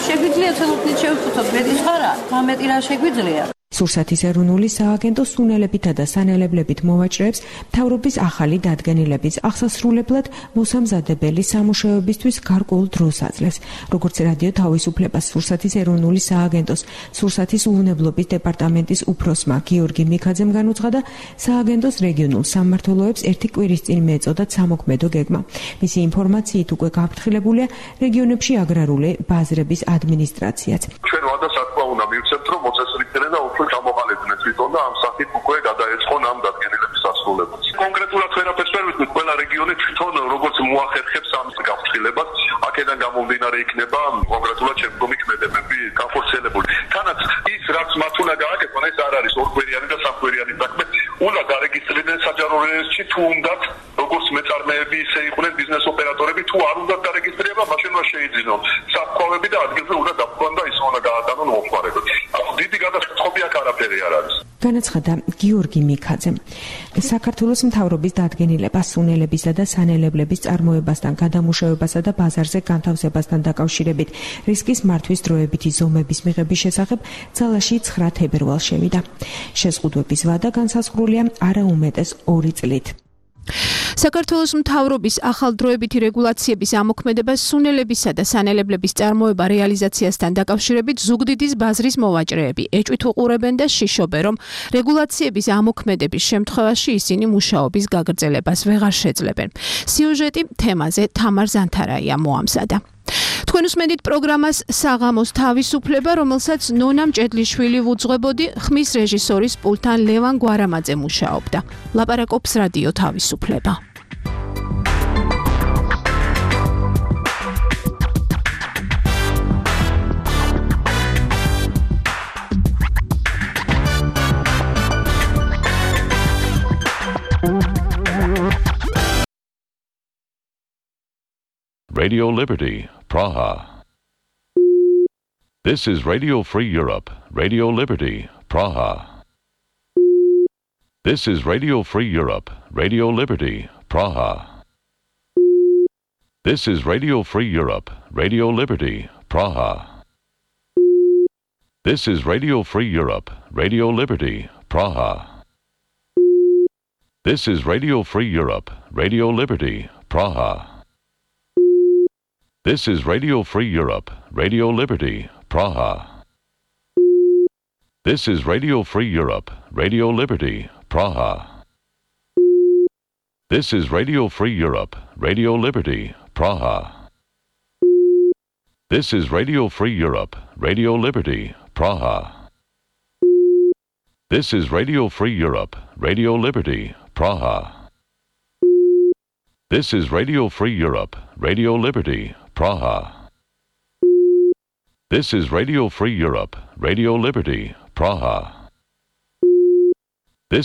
შეგვიძლია ცელოფნით შევფუთოთ, მეტი სხვა რა, თამეტი რა შეგვიძლია. სურსათის ეროვნული სააგენტო სუნელებითა და სანელებლებით მოვაჭრეებს მთავრობის ახალი დადგენილების აღსასრულებლად მოსამზადებელი სამუშაოებისთვის გარკვეულ დროს აძლევს. როგორც რადიო თავისუფლებას სურსათის ეროვნული სააგენტოს სურსათის უვნებლობის დეპარტამენტის უფროსმა გიორგი მიქაძემ განუცხადა, სააგენტოს რეგიონულ სამმართველოებს ერთი კვირის წინ მეწოდათ სამოქმედო გეგმა. მისი ინფორმაციით უკვე გაფრთხილებულია რეგიონებში აგრარული ბაზრების ადმინისტრაციაც. ჩვენ ვადას აკვა უნდა მივცემთ, რომ მოწესრიგდნენ და უფრო ჩამოყალიბდნენ თვითონ და ამ სახით უკვე გადაეწყონ ამ დადგენილების ასრულებას. კონკრეტულად ვერაფერს ვერ ვიცით, ყველა რეგიონი თვითონ როგორც მოახერხებს ამ გაფრთხილებას, აქედან გამომდინარე იქნება კონკრეტულად შემდგომი ქმედებები განხორციელებული. თანაც ის რაც მათ უნდა გააკეთონ, ეს არ არის ორკვირიანი და სამკვირიანი საქმე. უნდა გარეგისტრირდნენ საჯარო რეესტრში, თუ უნდათ როგორც მეწარმეები, ისე იყვნენ ბიზნეს ოპერატორები, თუ არ უნდათ დარეგისტრირება, მაშინ უნდა შეიძინონ საფქვავები და ადგილზე უნდა დაფქვან და ის უნდა გაატანონ მომხმარებლებს. დიდი გადაწყვეტი აქ არაფერი არ არის. განაცხადა გიორგი მიქაძემ. საქართველოს მთავრობის დადგენილება სუნელებისა და სანელებლების წარმოებასთან, გადამუშავებასა და ბაზარზე განთავსებასთან დაკავშირებით რისკის მართვის დროებითი ზომების მიღების შესახებ ძალაში ცხრა თებერვალს შევიდა. შეზღუდვების ვადა განსაზღვრულია არა უმეტეს ორი წლით. საქართველოს მთავრობის ახალდროებითი რეგულაციების ამოქმედება სუნელებისა და სანელებლების წარმოება რეალიზაციასთან დაკავშირებით ზუგდიდის ბაზრის მოვაჭრეები ეჭვით უყურებენ და შიშობენ, რომ რეგულაციების ამოქმედების შემთხვევაში ისინი მუშაობის გაგრძელებას ვეღარ შეძლებენ. სიუჟეტი თემაზე თამარ ზანთარაია მოამზადა. თქვენ უსმენთ პროგრამას საღამოს თავისუფლება, რომელსაც ნონა მჭედლიშვილი ვუძღვებოდი, ხმის რეჟისორის პულთან ლევან გვარამაძე მუშაობდა. ლაპარაკობს რადიო თავისუფლება. Radio Liberty, Praha. This is Radio Free Europe, Radio Liberty, Praha. This is Radio Free Europe, Radio Liberty, Praha. This is Radio Free Europe, Radio Liberty, Praha. This is Radio Free Europe, Radio Liberty, Praha. This is Radio Free Europe, Radio Liberty, Praha. This is Radio Free Europe, Radio Liberty, Praha. This is Radio Free Europe, Radio Liberty, Praha. This is Radio Free Europe, Radio Liberty, Praha. This is Radio Free Europe, Radio Liberty, Praha. This is Radio Free Europe, Radio Liberty, Praha. This is Radio Free Europe, Radio Liberty, Praha. This is Radio Free Europe, Radio Liberty, Praha.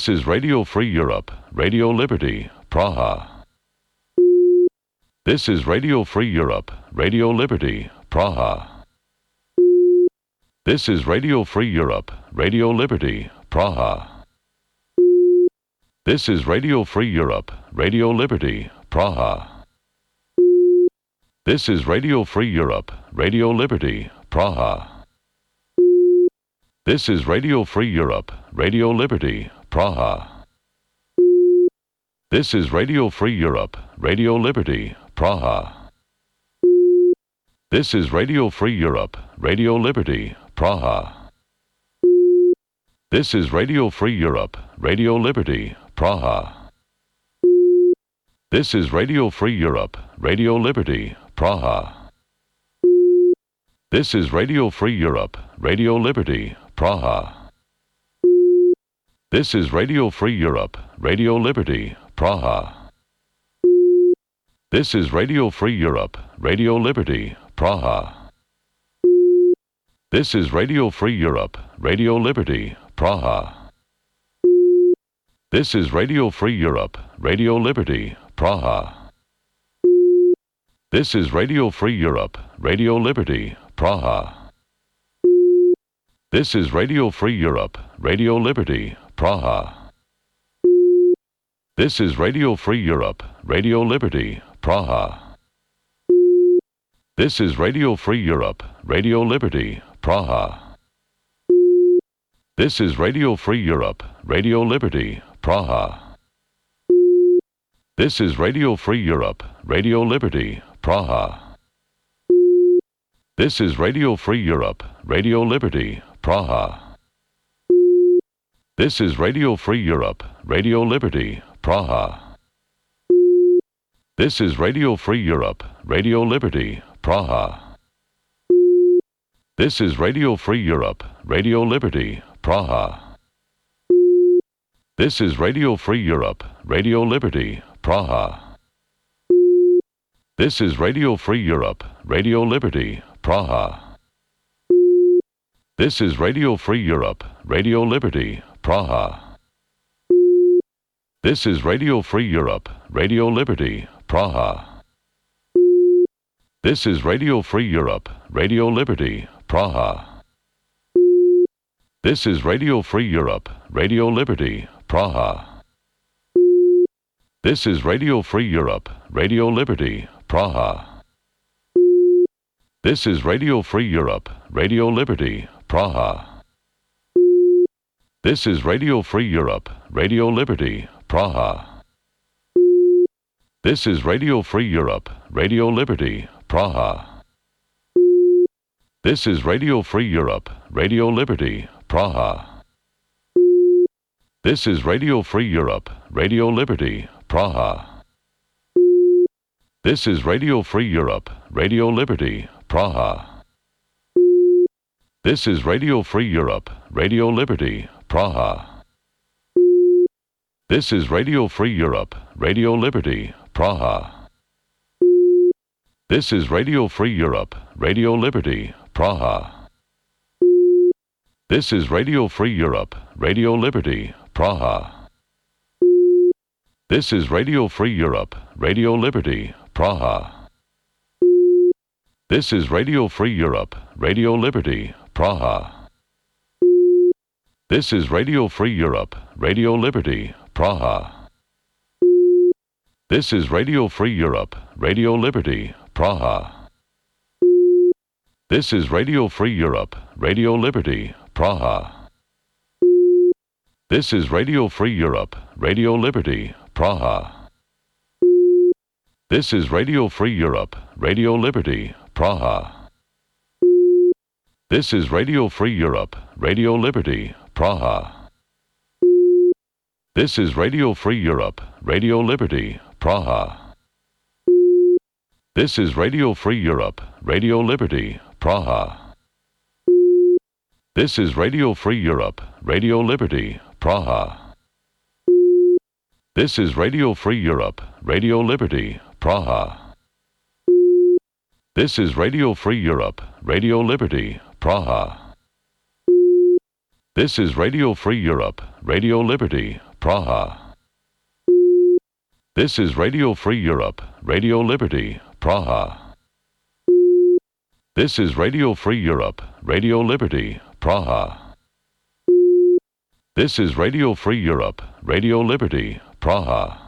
This is Radio Free Europe, Radio Liberty, Praha. This is Radio Free Europe, Radio Liberty, Praha. This is Radio Free Europe, Radio Liberty, Praha. This is Radio Free Europe, Radio Liberty, Praha. This is Radio Free Europe, Radio Liberty, Praha. This is Radio Free Europe, Radio Liberty, Praha. This is Radio Free Europe, Radio Liberty, Praha. This is Radio Free Europe, Radio Liberty, Praha. This is Radio Free Europe, Radio Liberty, Praha. This is Radio Free Europe, Radio Liberty, Praha. This is Radio Free Europe, Radio Liberty, Praha. This is Radio Free Europe, Radio Liberty, Praha. This is Radio Free Europe, Radio Liberty, Praha. This is Radio Free Europe, Radio Liberty, Praha. This is Radio Free Europe, Radio Liberty, Praha. This is Radio Free Europe, Radio Liberty, Praha. This is Radio Free Europe, Radio Liberty, Praha. This is Radio Free Europe, Radio Liberty, Praha. This is Radio Free Europe, Radio Liberty, Praha. This is Radio Free Europe, Radio Liberty, Praha. This is Radio Free Europe, Radio Liberty, Praha. This is Radio Free Europe, Radio Liberty, Praha. This is Radio Free Europe, Radio Liberty, Praha. This is Radio Free Europe, Radio Liberty, Praha. This is Radio Free Europe, Radio Liberty, Praha. This is Radio Free Europe, Radio Liberty, Praha. This is Radio Free Europe, Radio Liberty, Praha. This is Radio Free Europe, Radio Liberty, Praha. This is Radio Free Europe, Radio Liberty, Praha. This is Radio Free Europe, Radio Liberty, Praha. This is Radio Free Europe, Radio Liberty, Praha. This is Radio Free Europe, Radio Liberty, Praha. This is Radio Free Europe, Radio Liberty, Praha. This is Radio Free Europe, Radio Liberty, Praha. This is Radio Free Europe, Radio Liberty, Praha. This is Radio Free Europe, Radio Liberty, Praha. This is Radio Free Europe, Radio Liberty, Praha. This is Radio Free Europe, Radio Liberty, Praha. This is Radio Free Europe, Radio Liberty, Praha. This is Radio Free Europe, Radio Liberty, Praha. This is Radio Free Europe, Radio Liberty, Praha. This is Radio Free Europe, Radio Liberty, Praha. This is Radio Free Europe, Radio Liberty, Praha. This is Radio Free Europe, Radio Liberty, Praha. This is Radio Free Europe, Radio Liberty, Praha. This is Radio Free Europe, Radio Liberty, Praha. This is Radio Free Europe, Radio Liberty, Praha. This is Radio Free Europe, Radio Liberty, Praha. This is Radio Free Europe, Radio Liberty, Praha. This is Radio Free Europe, Radio Liberty, Praha. This is Radio Free Europe, Radio Liberty, Praha. This is Radio Free Europe, Radio Liberty, Praha. This is Radio Free Europe, Radio Liberty, Praha. This is Radio Free Europe, Radio Liberty, Praha. This is Radio Free Europe, Radio Liberty, Praha. This is Radio Free Europe, Radio Liberty, Praha. This is Radio Free Europe, Radio Liberty, Praha. This is Radio Free Europe, Radio Liberty, Praha. This is Radio Free Europe, Radio Liberty, Praha.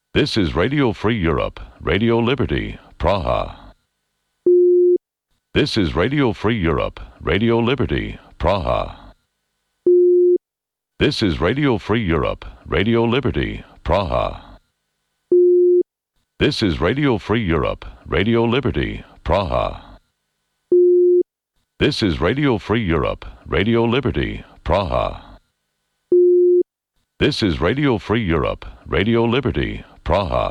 This is Radio Free Europe, Radio Liberty, Praha. This is Radio Free Europe, Radio Liberty, Praha. This is Radio Free Europe, Radio Liberty, Praha. This is Radio Free Europe, Radio Liberty, Praha. This is Radio Free Europe, Radio Liberty, Praha.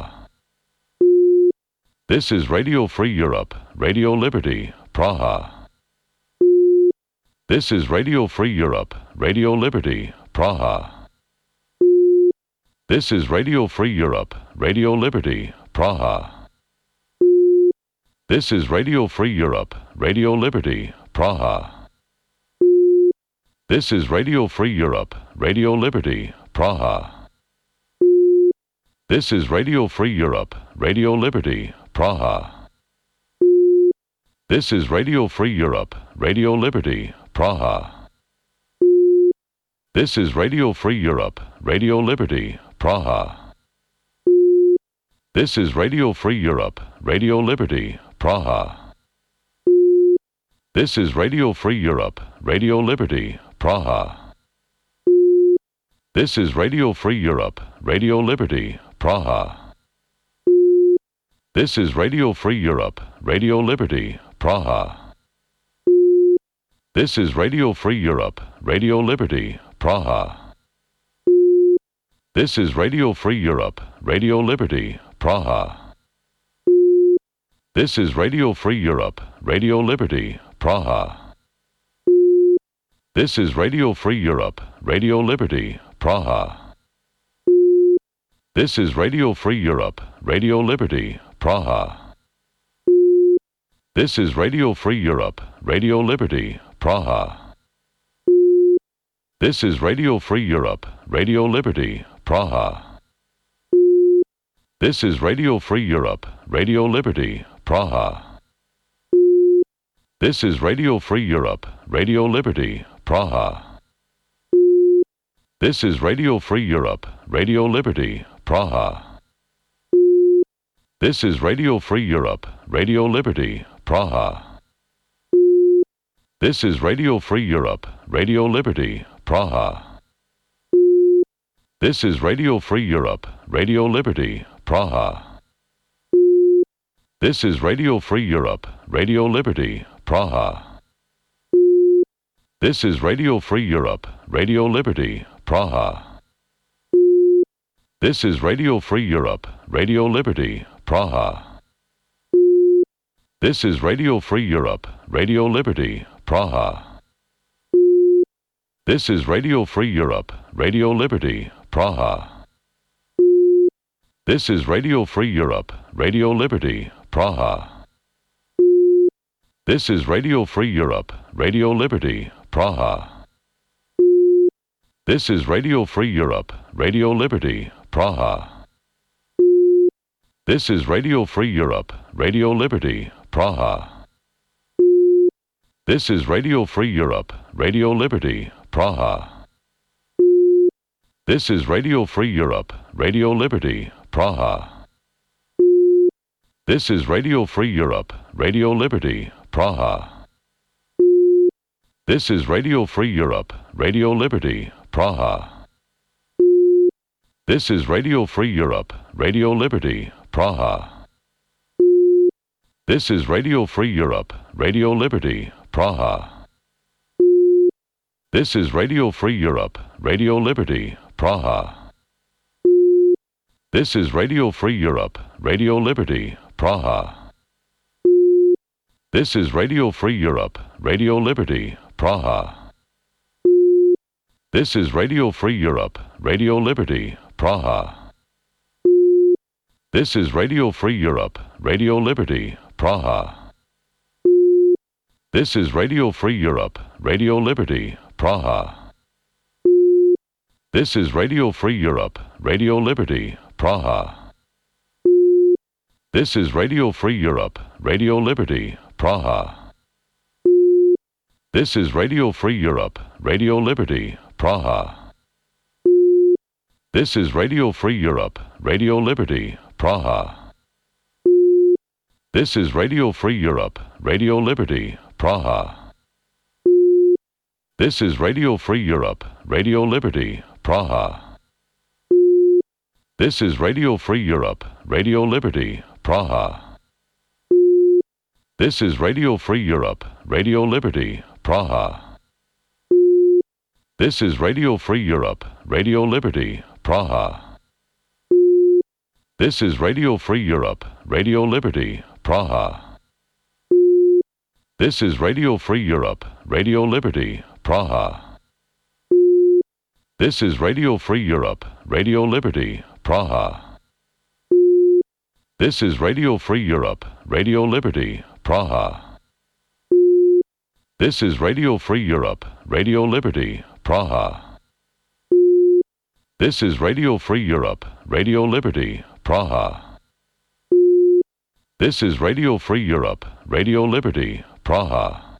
This is Radio Free Europe, Radio Liberty, Praha. This is Radio Free Europe, Radio Liberty, Praha. This is Radio Free Europe, Radio Liberty, Praha. This is Radio Free Europe, Radio Liberty, Praha. This is Radio Free Europe, Radio Liberty, Praha. This is Radio Free Europe, Radio Liberty, Praha. This is Radio Free Europe, Radio Liberty, Praha. This is Radio Free Europe, Radio Liberty, Praha. This is Radio Free Europe, Radio Liberty, Praha. This is Radio Free Europe, Radio Liberty, Praha. This is Radio Free Europe, Radio Liberty, Praha. This is Radio Free Europe, Radio Liberty, Praha. This is Radio Free Europe, Radio Liberty, Praha. This is Radio Free Europe, Radio Liberty, Praha. This is Radio Free Europe, Radio Liberty, Praha. This is Radio Free Europe, Radio Liberty, Praha. This is Radio Free Europe, Radio Liberty, Praha. This is Radio Free Europe, Radio Liberty, Praha. This is Radio Free Europe, Radio Liberty, Praha. This is Radio Free Europe, Radio Liberty, Praha. This is Radio Free Europe, Radio Liberty, Praha. This is Radio Free Europe, Radio Liberty, Praha. This is Radio Free Europe, Radio Liberty, Praha. This is Radio Free Europe, Radio Liberty, Praha. This is Radio Free Europe, Radio Liberty, Praha. This is Radio Free Europe, Radio Liberty, Praha. This is Radio Free Europe, Radio Liberty, Praha. This is Radio Free Europe, Radio Liberty, Praha. This is Radio Free Europe, Radio Liberty, Praha. This is Radio Free Europe, Radio Liberty, Praha. This is Radio Free Europe, Radio Liberty, Praha. This is Radio Free Europe, Radio Liberty, Praha. This is Radio Free Europe, Radio Liberty, Praha. This is Radio Free Europe, Radio Liberty, Praha. This is Radio Free Europe, Radio Liberty, Praha. This is Radio Free Europe, Radio Liberty, Praha. This is Radio Free Europe, Radio Liberty, Praha. This is Radio Free Europe, Radio Liberty, Praha. This is Radio Free Europe, Radio Liberty, Praha. This is Radio Free Europe, Radio Liberty, Praha. This is Radio Free Europe, Radio Liberty, Praha. This is Radio Free Europe, Radio Liberty, Praha. This is Radio Free Europe, Radio Liberty, Praha. This is Radio Free Europe, Radio Liberty, Praha. This is Radio Free Europe, Radio Liberty, Praha. This is Radio Free Europe, Radio Liberty, Praha. This is Radio Free Europe, Radio Liberty, Praha. This is Radio Free Europe, Radio Liberty, Praha. This is Radio Free Europe, Radio Liberty, Praha. This is Radio Free Europe, Radio Liberty, Praha. This is Radio Free Europe, Radio Liberty, Praha. This is Radio Free Europe, Radio Liberty, Praha. This is Radio Free Europe, Radio Liberty, Praha. This is Radio Free Europe, Radio Liberty, Praha. This is Radio Free Europe, Radio Liberty, Praha. This is Radio Free Europe, Radio Liberty, Praha. This is Radio Free Europe, Radio Liberty, Praha. This is Radio Free Europe, Radio Liberty, Praha. This is Radio Free Europe, Radio Liberty, Praha. This is Radio Free Europe, Radio Liberty, Praha. This is Radio Free Europe, Radio Liberty, Praha. This is Radio Free Europe, Radio Liberty, Praha. This is Radio Free Europe, Radio Liberty, Praha.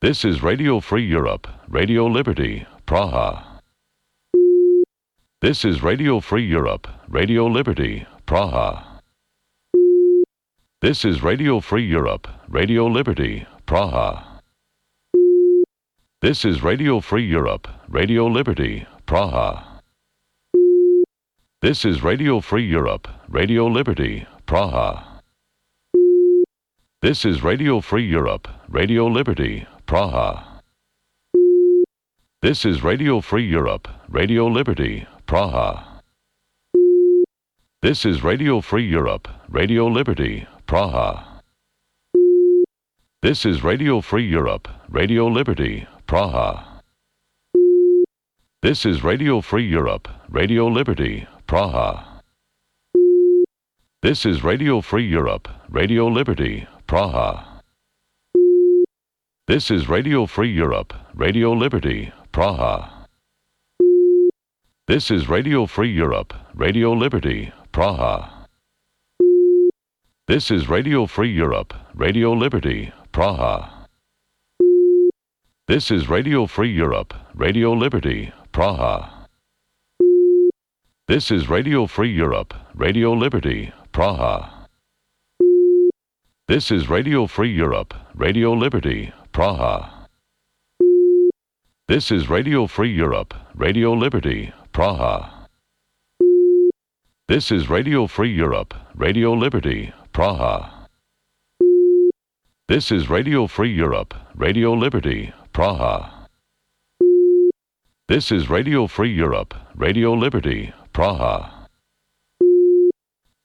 This is Radio Free Europe, Radio Liberty, Praha. This is Radio Free Europe, Radio Liberty, Praha. This is Radio Free Europe, Radio Liberty, Praha. This is Radio Free Europe, Radio Liberty, Praha. This is Radio Free Europe, Radio Liberty, Praha. This is Radio Free Europe, Radio Liberty, Praha. This is Radio Free Europe, Radio Liberty, Praha. This is Radio Free Europe, Radio Liberty, Praha. This is Radio Free Europe, Radio Liberty, Praha. This is Radio Free Europe, Radio Liberty, Praha. This is Radio Free Europe, Radio Liberty, Praha. This is Radio Free Europe, Radio Liberty, Praha. This is Radio Free Europe, Radio Liberty, Praha. This is Radio Free Europe, Radio Liberty, Praha. This is Radio Free Europe, Radio Liberty, Praha. This is Radio Free Europe, Radio Liberty, Praha. This is Radio Free Europe, Radio Liberty, Praha. This is Radio Free Europe, Radio Liberty, Praha. This is Radio Free Europe, Radio Liberty, Praha. This is Radio Free Europe, Radio Liberty, Praha. This is Radio Free Europe, Radio Liberty, Praha.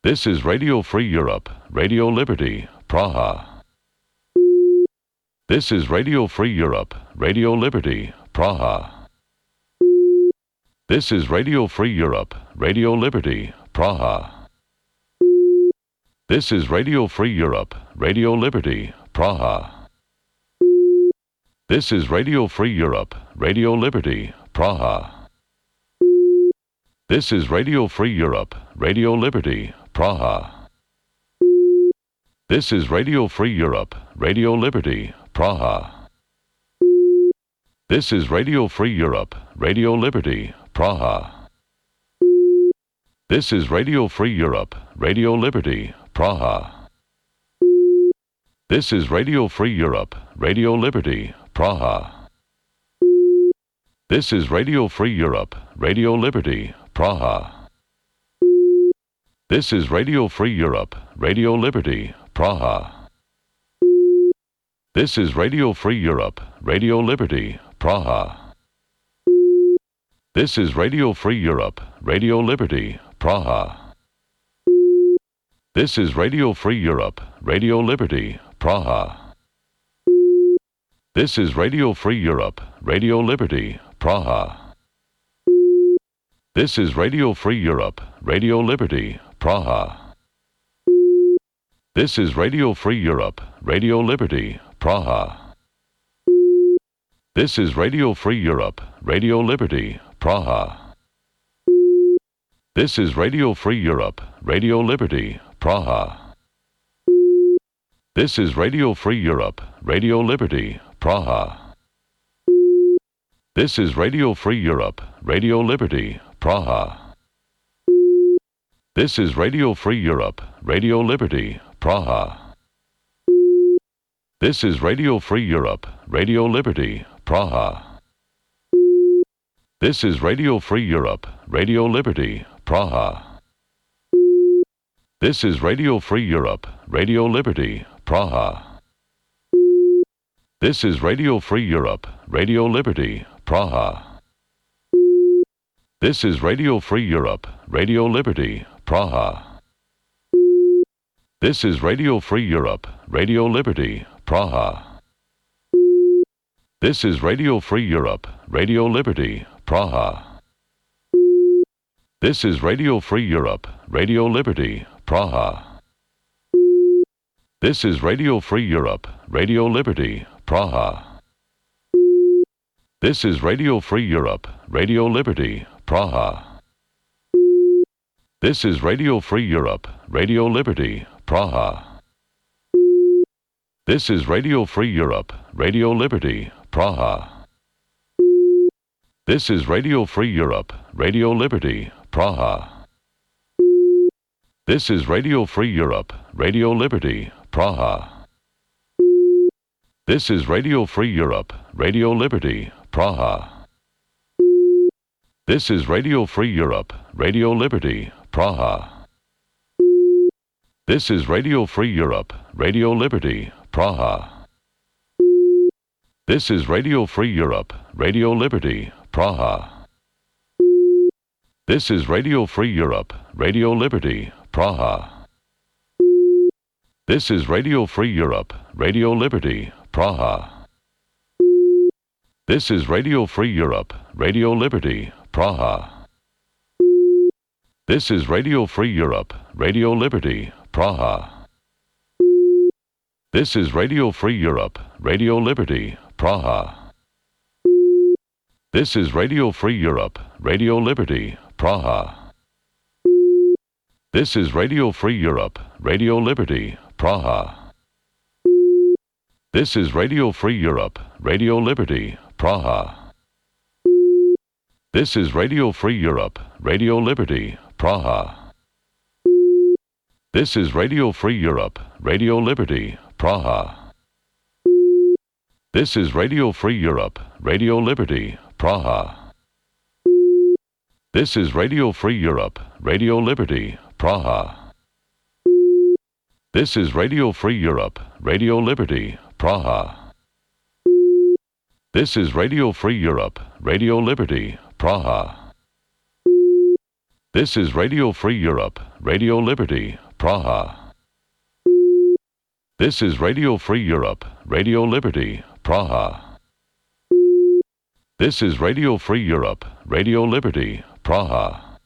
This is Radio Free Europe, Radio Liberty, Praha. This is Radio Free Europe, Radio Liberty, Praha. This is Radio Free Europe, Radio Liberty, Praha. This is Radio Free Europe, Radio Liberty, Praha. This is Radio Free Europe, Radio Liberty, Praha. This is Radio Free Europe, Radio Liberty, Praha. This is Radio Free Europe, Radio Liberty, Praha. This is Radio Free Europe, Radio Liberty, Praha. This is Radio Free Europe, Radio Liberty, Praha. This is Radio Free Europe, Radio Liberty, Praha. This is Radio Free Europe, Radio Liberty, Praha. This is Radio Free Europe, Radio Liberty, Praha. This is Radio Free Europe, Radio Liberty, Praha. This is Radio Free Europe, Radio Liberty, Praha. This is Radio Free Europe, Radio Liberty, Praha. This is Radio Free Europe, Radio Liberty, Praha. This is Radio Free Europe, Radio Liberty, Praha. This is Radio Free Europe, Radio Liberty, Praha. This is Radio Free Europe, Radio Liberty, Praha. This is Radio Free Europe, Radio Liberty, Praha. This is Radio Free Europe, Radio Liberty, Praha. This is Radio Free Europe, Radio Liberty, Praha. This is Radio Free Europe, Radio Liberty, Praha. This is Radio Free Europe, Radio Liberty, Praha. This is Radio Free Europe, Radio Liberty, Praha. This is Radio Free Europe, Radio Liberty, Praha. This is Radio Free Europe, Radio Liberty, Praha. This is Radio Free Europe, Radio Liberty, Praha. This is Radio Free Europe, Radio Liberty, Praha. This is Radio Free Europe, Radio Liberty, Praha. This is Radio Free Europe, Radio Liberty, Praha. This is Radio Free Europe, Radio Liberty, Praha. This is Radio Free Europe, Radio Liberty, Praha. This is Radio Free Europe, Radio Liberty, Praha. This is Radio Free Europe, Radio Liberty, Praha. This is Radio Free Europe, Radio Liberty, Praha. This is Radio Free Europe, Radio Liberty, Praha. This is Radio Free Europe, Radio Liberty, Praha. This is Radio Free Europe, Radio Liberty, Praha. This is Radio Free Europe, Radio Liberty, Praha. This is Radio Free Europe, Radio Liberty, Praha. This is Radio Free Europe, Radio Liberty, Praha. This is Radio Free Europe, Radio Liberty, Praha. This is Radio Free Europe, Radio Liberty, Praha. This is Radio Free Europe, Radio Liberty, Praha. This is Radio Free Europe, Radio Liberty, Praha. This is Radio Free Europe, Radio Liberty, Praha. This is Radio Free Europe, Radio Liberty, Praha. This is Radio Free Europe, Radio Liberty, Praha. This is Radio Free Europe, Radio Liberty, Praha. This is Radio Free Europe, Radio Liberty, Praha. This is Radio Free Europe, Radio Liberty, Praha. This is Radio Free Europe, Radio Liberty, Praha. This is Radio Free Europe, Radio Liberty, Praha. This is Radio Free Europe, Radio Liberty, Praha. This is Radio Free Europe, Radio Liberty, Praha. This is Radio Free Europe, Radio Liberty, Praha. This is Radio Free Europe, Radio Liberty, Praha.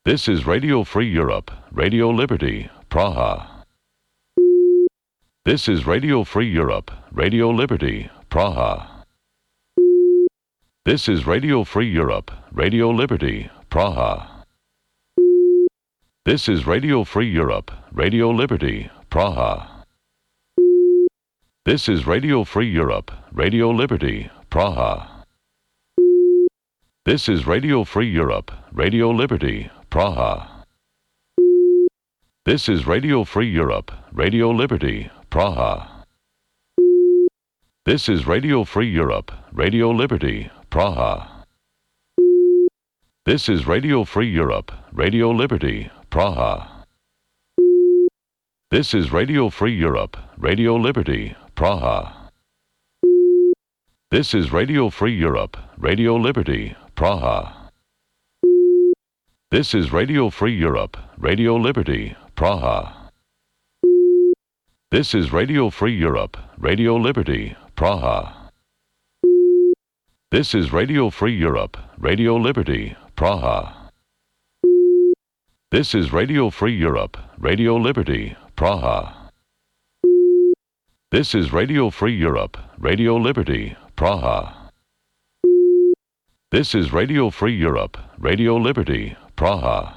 This is Radio Free Europe, Radio Liberty, Praha. This is Radio Free Europe, Radio Liberty, Praha. This is Radio Free Europe, Radio Liberty, Praha. This is Radio Free Europe, Radio Liberty, Praha. This is Radio Free Europe, Radio Liberty, Praha. This is Radio Free Europe, Radio Liberty, Praha. This is Radio Free Europe, Radio Liberty, Praha. This is Radio Free Europe, Radio Liberty, Praha. This is Radio Free Europe, Radio Liberty, Praha. This is Radio Free Europe, Radio Liberty, Praha. This is Radio Free Europe, Radio Liberty, Praha. This is Radio Free Europe, Radio Liberty, Praha. This is Radio Free Europe, Radio Liberty, Praha. This is Radio Free Europe, Radio Liberty, Praha. This is Radio Free Europe, Radio Liberty, Praha. This is Radio Free Europe, Radio Liberty, Praha. This is Radio Free Europe, Radio Liberty, Praha.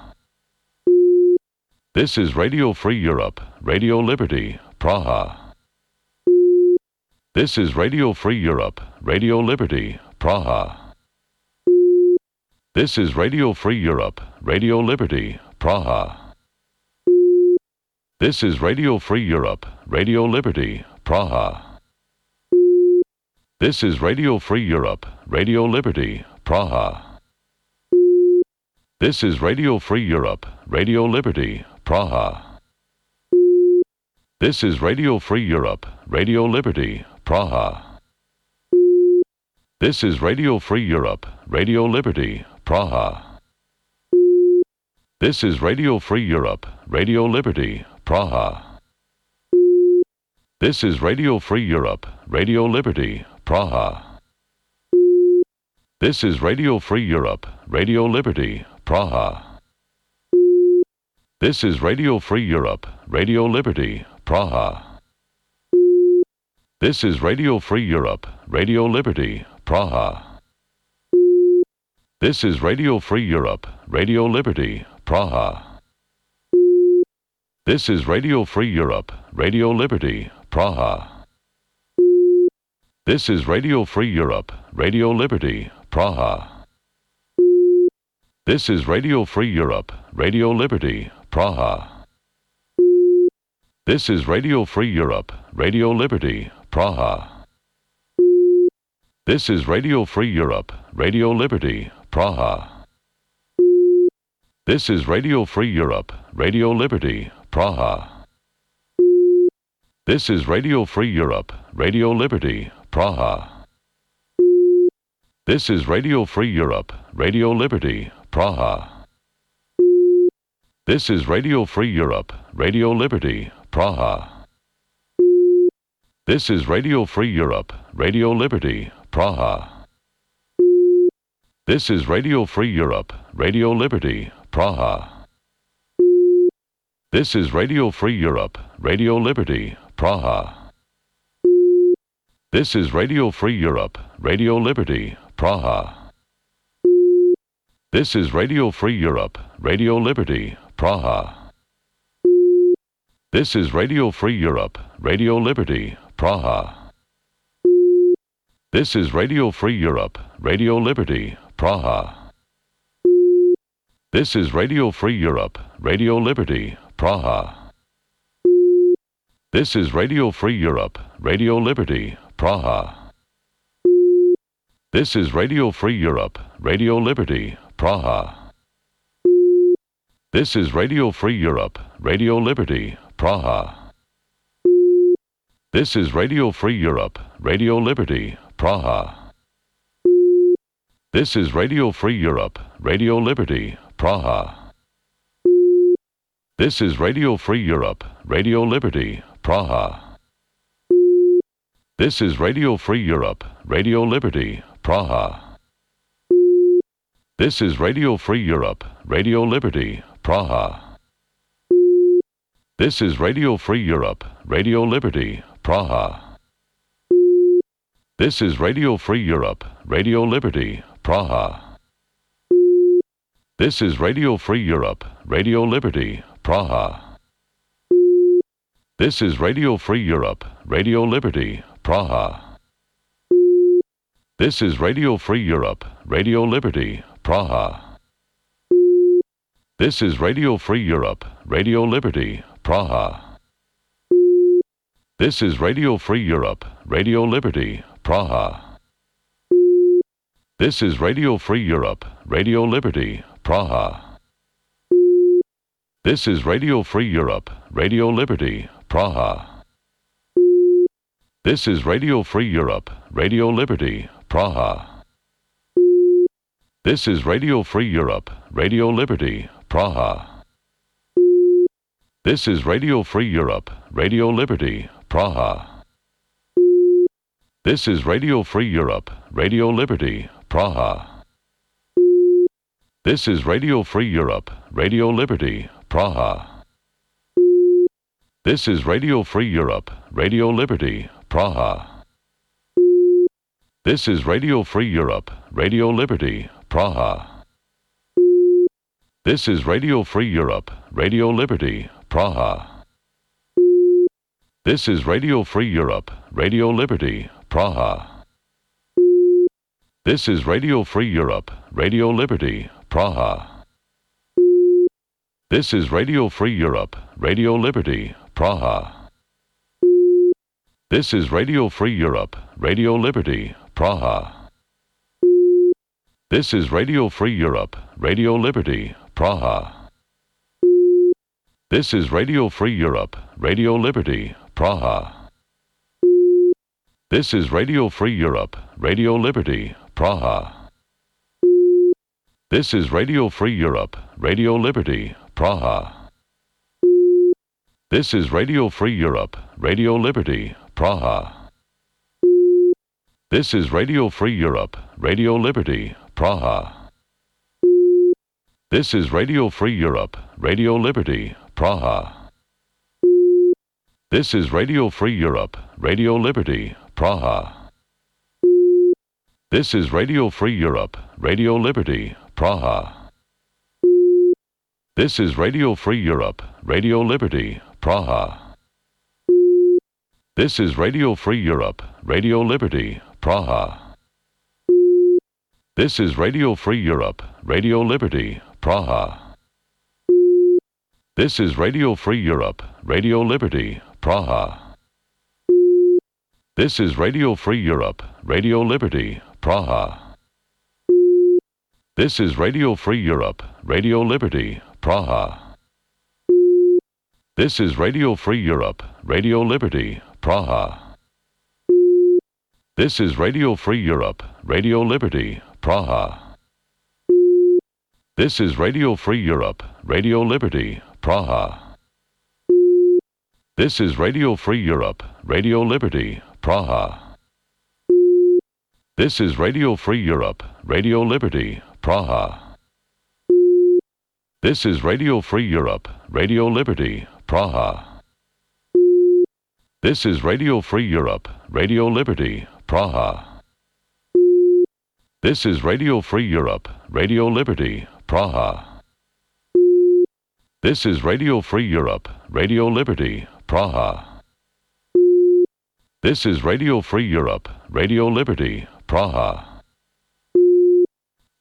This is Radio Free Europe, Radio Liberty, Praha. This is Radio Free Europe, Radio Liberty, Praha. This is Radio Free Europe, Radio Liberty, Praha. This is Radio Free Europe, Radio Liberty, Praha. This is Radio Free Europe, Radio Liberty, Praha. This is Radio Free Europe, Radio Liberty, Praha. This is Radio Free Europe, Radio Liberty, Praha. This is Radio Free Europe, Radio Liberty, Praha. This is Radio Free Europe, Radio Liberty, Praha. This is Radio Free Europe, Radio Liberty, Praha. This is Radio Free Europe, Radio Liberty, Praha. This is Radio Free Europe, Radio Liberty, Praha. This is Radio Free Europe, Radio Liberty, Praha. This is Radio Free Europe, Radio Liberty, Praha. This is Radio Free Europe, Radio Liberty, Praha. This is Radio Free Europe, Radio Liberty, Praha. This is Radio Free Europe, Radio Liberty, Praha. This is Radio Free Europe, Radio Liberty, Praha. This is Radio Free Europe, Radio Liberty, Praha. This is Radio Free Europe, Radio Liberty, Praha. This is Radio Free Europe, Radio Liberty, Praha. This is Radio Free Europe, Radio Liberty, Praha. This is Radio Free Europe, Radio Liberty, Praha. This is Radio Free Europe, Radio Liberty, Praha. This is Radio Free Europe, Radio Liberty, Praha. This is Radio Free Europe, Radio Liberty, Praha. This is Radio Free Europe, Radio Liberty, Praha. This is Radio Free Europe, Radio Liberty, Praha. This is Radio Free Europe, Radio Liberty, Praha. This is Radio Free Europe, Radio Liberty, Praha. This is Radio Free Europe, Radio Liberty, Praha. This is Radio Free Europe, Radio Liberty, Praha. This is Radio Free Europe, Radio Liberty, Praha. This is Radio Free Europe, Radio Liberty, Praha. This is Radio Free Europe, Radio Liberty, Praha. This is Radio Free Europe, Radio Liberty, Praha. This is Radio Free Europe, Radio Liberty, Praha. This is Radio Free Europe, Radio Liberty, Praha. This is Radio Free Europe, Radio Liberty, Praha. This is Radio Free Europe, Radio Liberty, Praha. This is Radio Free Europe, Radio Liberty, Praha. This is Radio Free Europe, Radio Liberty, Praha. This is Radio Free Europe, Radio Liberty, Praha. This is Radio Free Europe, Radio Liberty, Praha. This is Radio Free Europe, Radio Liberty, Praha. This is Radio Free Europe, Radio Liberty, Praha. This is Radio Free Europe, Radio Liberty, Praha. This is Radio Free Europe, Radio Liberty, Praha. This is Radio Free Europe, Radio Liberty, Praha. This is Radio Free Europe, Radio Liberty, Praha. This is Radio Free Europe, Radio Liberty, Praha. This is Radio Free Europe, Radio Liberty, Praha. This is Radio Free Europe, Radio Liberty, Praha. This is Radio Free Europe, Radio Liberty, Praha. This is Radio Free Europe, Radio Liberty, Praha. This is Radio Free Europe, Radio Liberty, Praha. This is Radio Free Europe, Radio Liberty, Praha. This is Radio Free Europe, Radio Liberty, Praha. This is Radio Free Europe, Radio Liberty, Praha. This is Radio Free Europe, Radio Liberty, Praha. This is Radio Free Europe, Radio Liberty, Praha. This is Radio Free Europe, Radio Liberty, Praha. This is Radio Free Europe, Radio Liberty, Praha. This is Radio Free Europe, Radio Liberty, Praha. This is Radio Free Europe, Radio Liberty, Praha. This is Radio Free Europe, Radio Liberty, Praha. This is Radio Free Europe, Radio Liberty, Praha. This is Radio Free Europe, Radio Liberty, Praha. This is Radio Free Europe, Radio Liberty, Praha. This is Radio Free Europe, Radio Liberty, Praha. This is Radio Free Europe, Radio Liberty, Praha. This is Radio Free Europe, Radio Liberty, Praha. This is Radio Free Europe, Radio Liberty, Praha. This is Radio Free Europe, Radio Liberty, Praha. This is Radio Free Europe, Radio Liberty, Praha. This is Radio Free Europe, Radio Liberty, Praha. This is Radio Free Europe, Radio Liberty, Praha. This is Radio Free Europe, Radio Liberty, Praha. This is Radio Free Europe, Radio Liberty, Praha. This is Radio Free Europe, Radio Liberty, Praha. This is Radio Free Europe, Radio Liberty, Praha. This is Radio Free Europe, Radio Liberty, Praha. This is Radio Free Europe, Radio Liberty, Praha. This is Radio Free Europe, Radio Liberty, Praha. This is Radio Free Europe, Radio Liberty, Praha.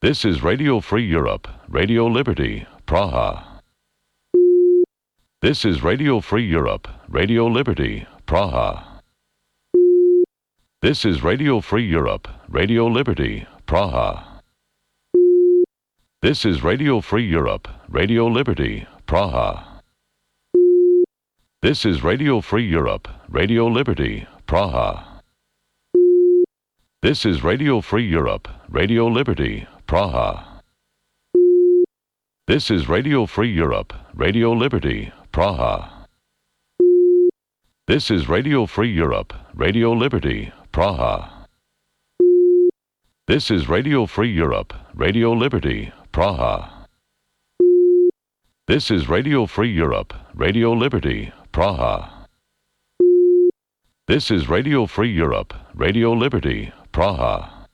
This is Radio Free Europe, Radio Liberty, Praha. This is Radio Free Europe, Radio Liberty, Praha. This is Radio Free Europe, Radio Liberty, Praha. This is Radio Free Europe, Radio Liberty, Praha. This is Radio Free Europe, Radio Liberty, Praha. This is Radio Free Europe, Radio Liberty, Praha. This is Radio Free Europe, Radio Liberty, Praha. This is Radio Free Europe, Radio Liberty, Praha. This is Radio Free Europe, Radio Liberty, Praha. This is Radio Free Europe, Radio Liberty, Praha. This is Radio Free Europe, Radio Liberty, Praha.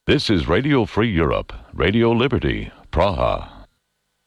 This is Radio Free Europe, Radio Liberty, Praha.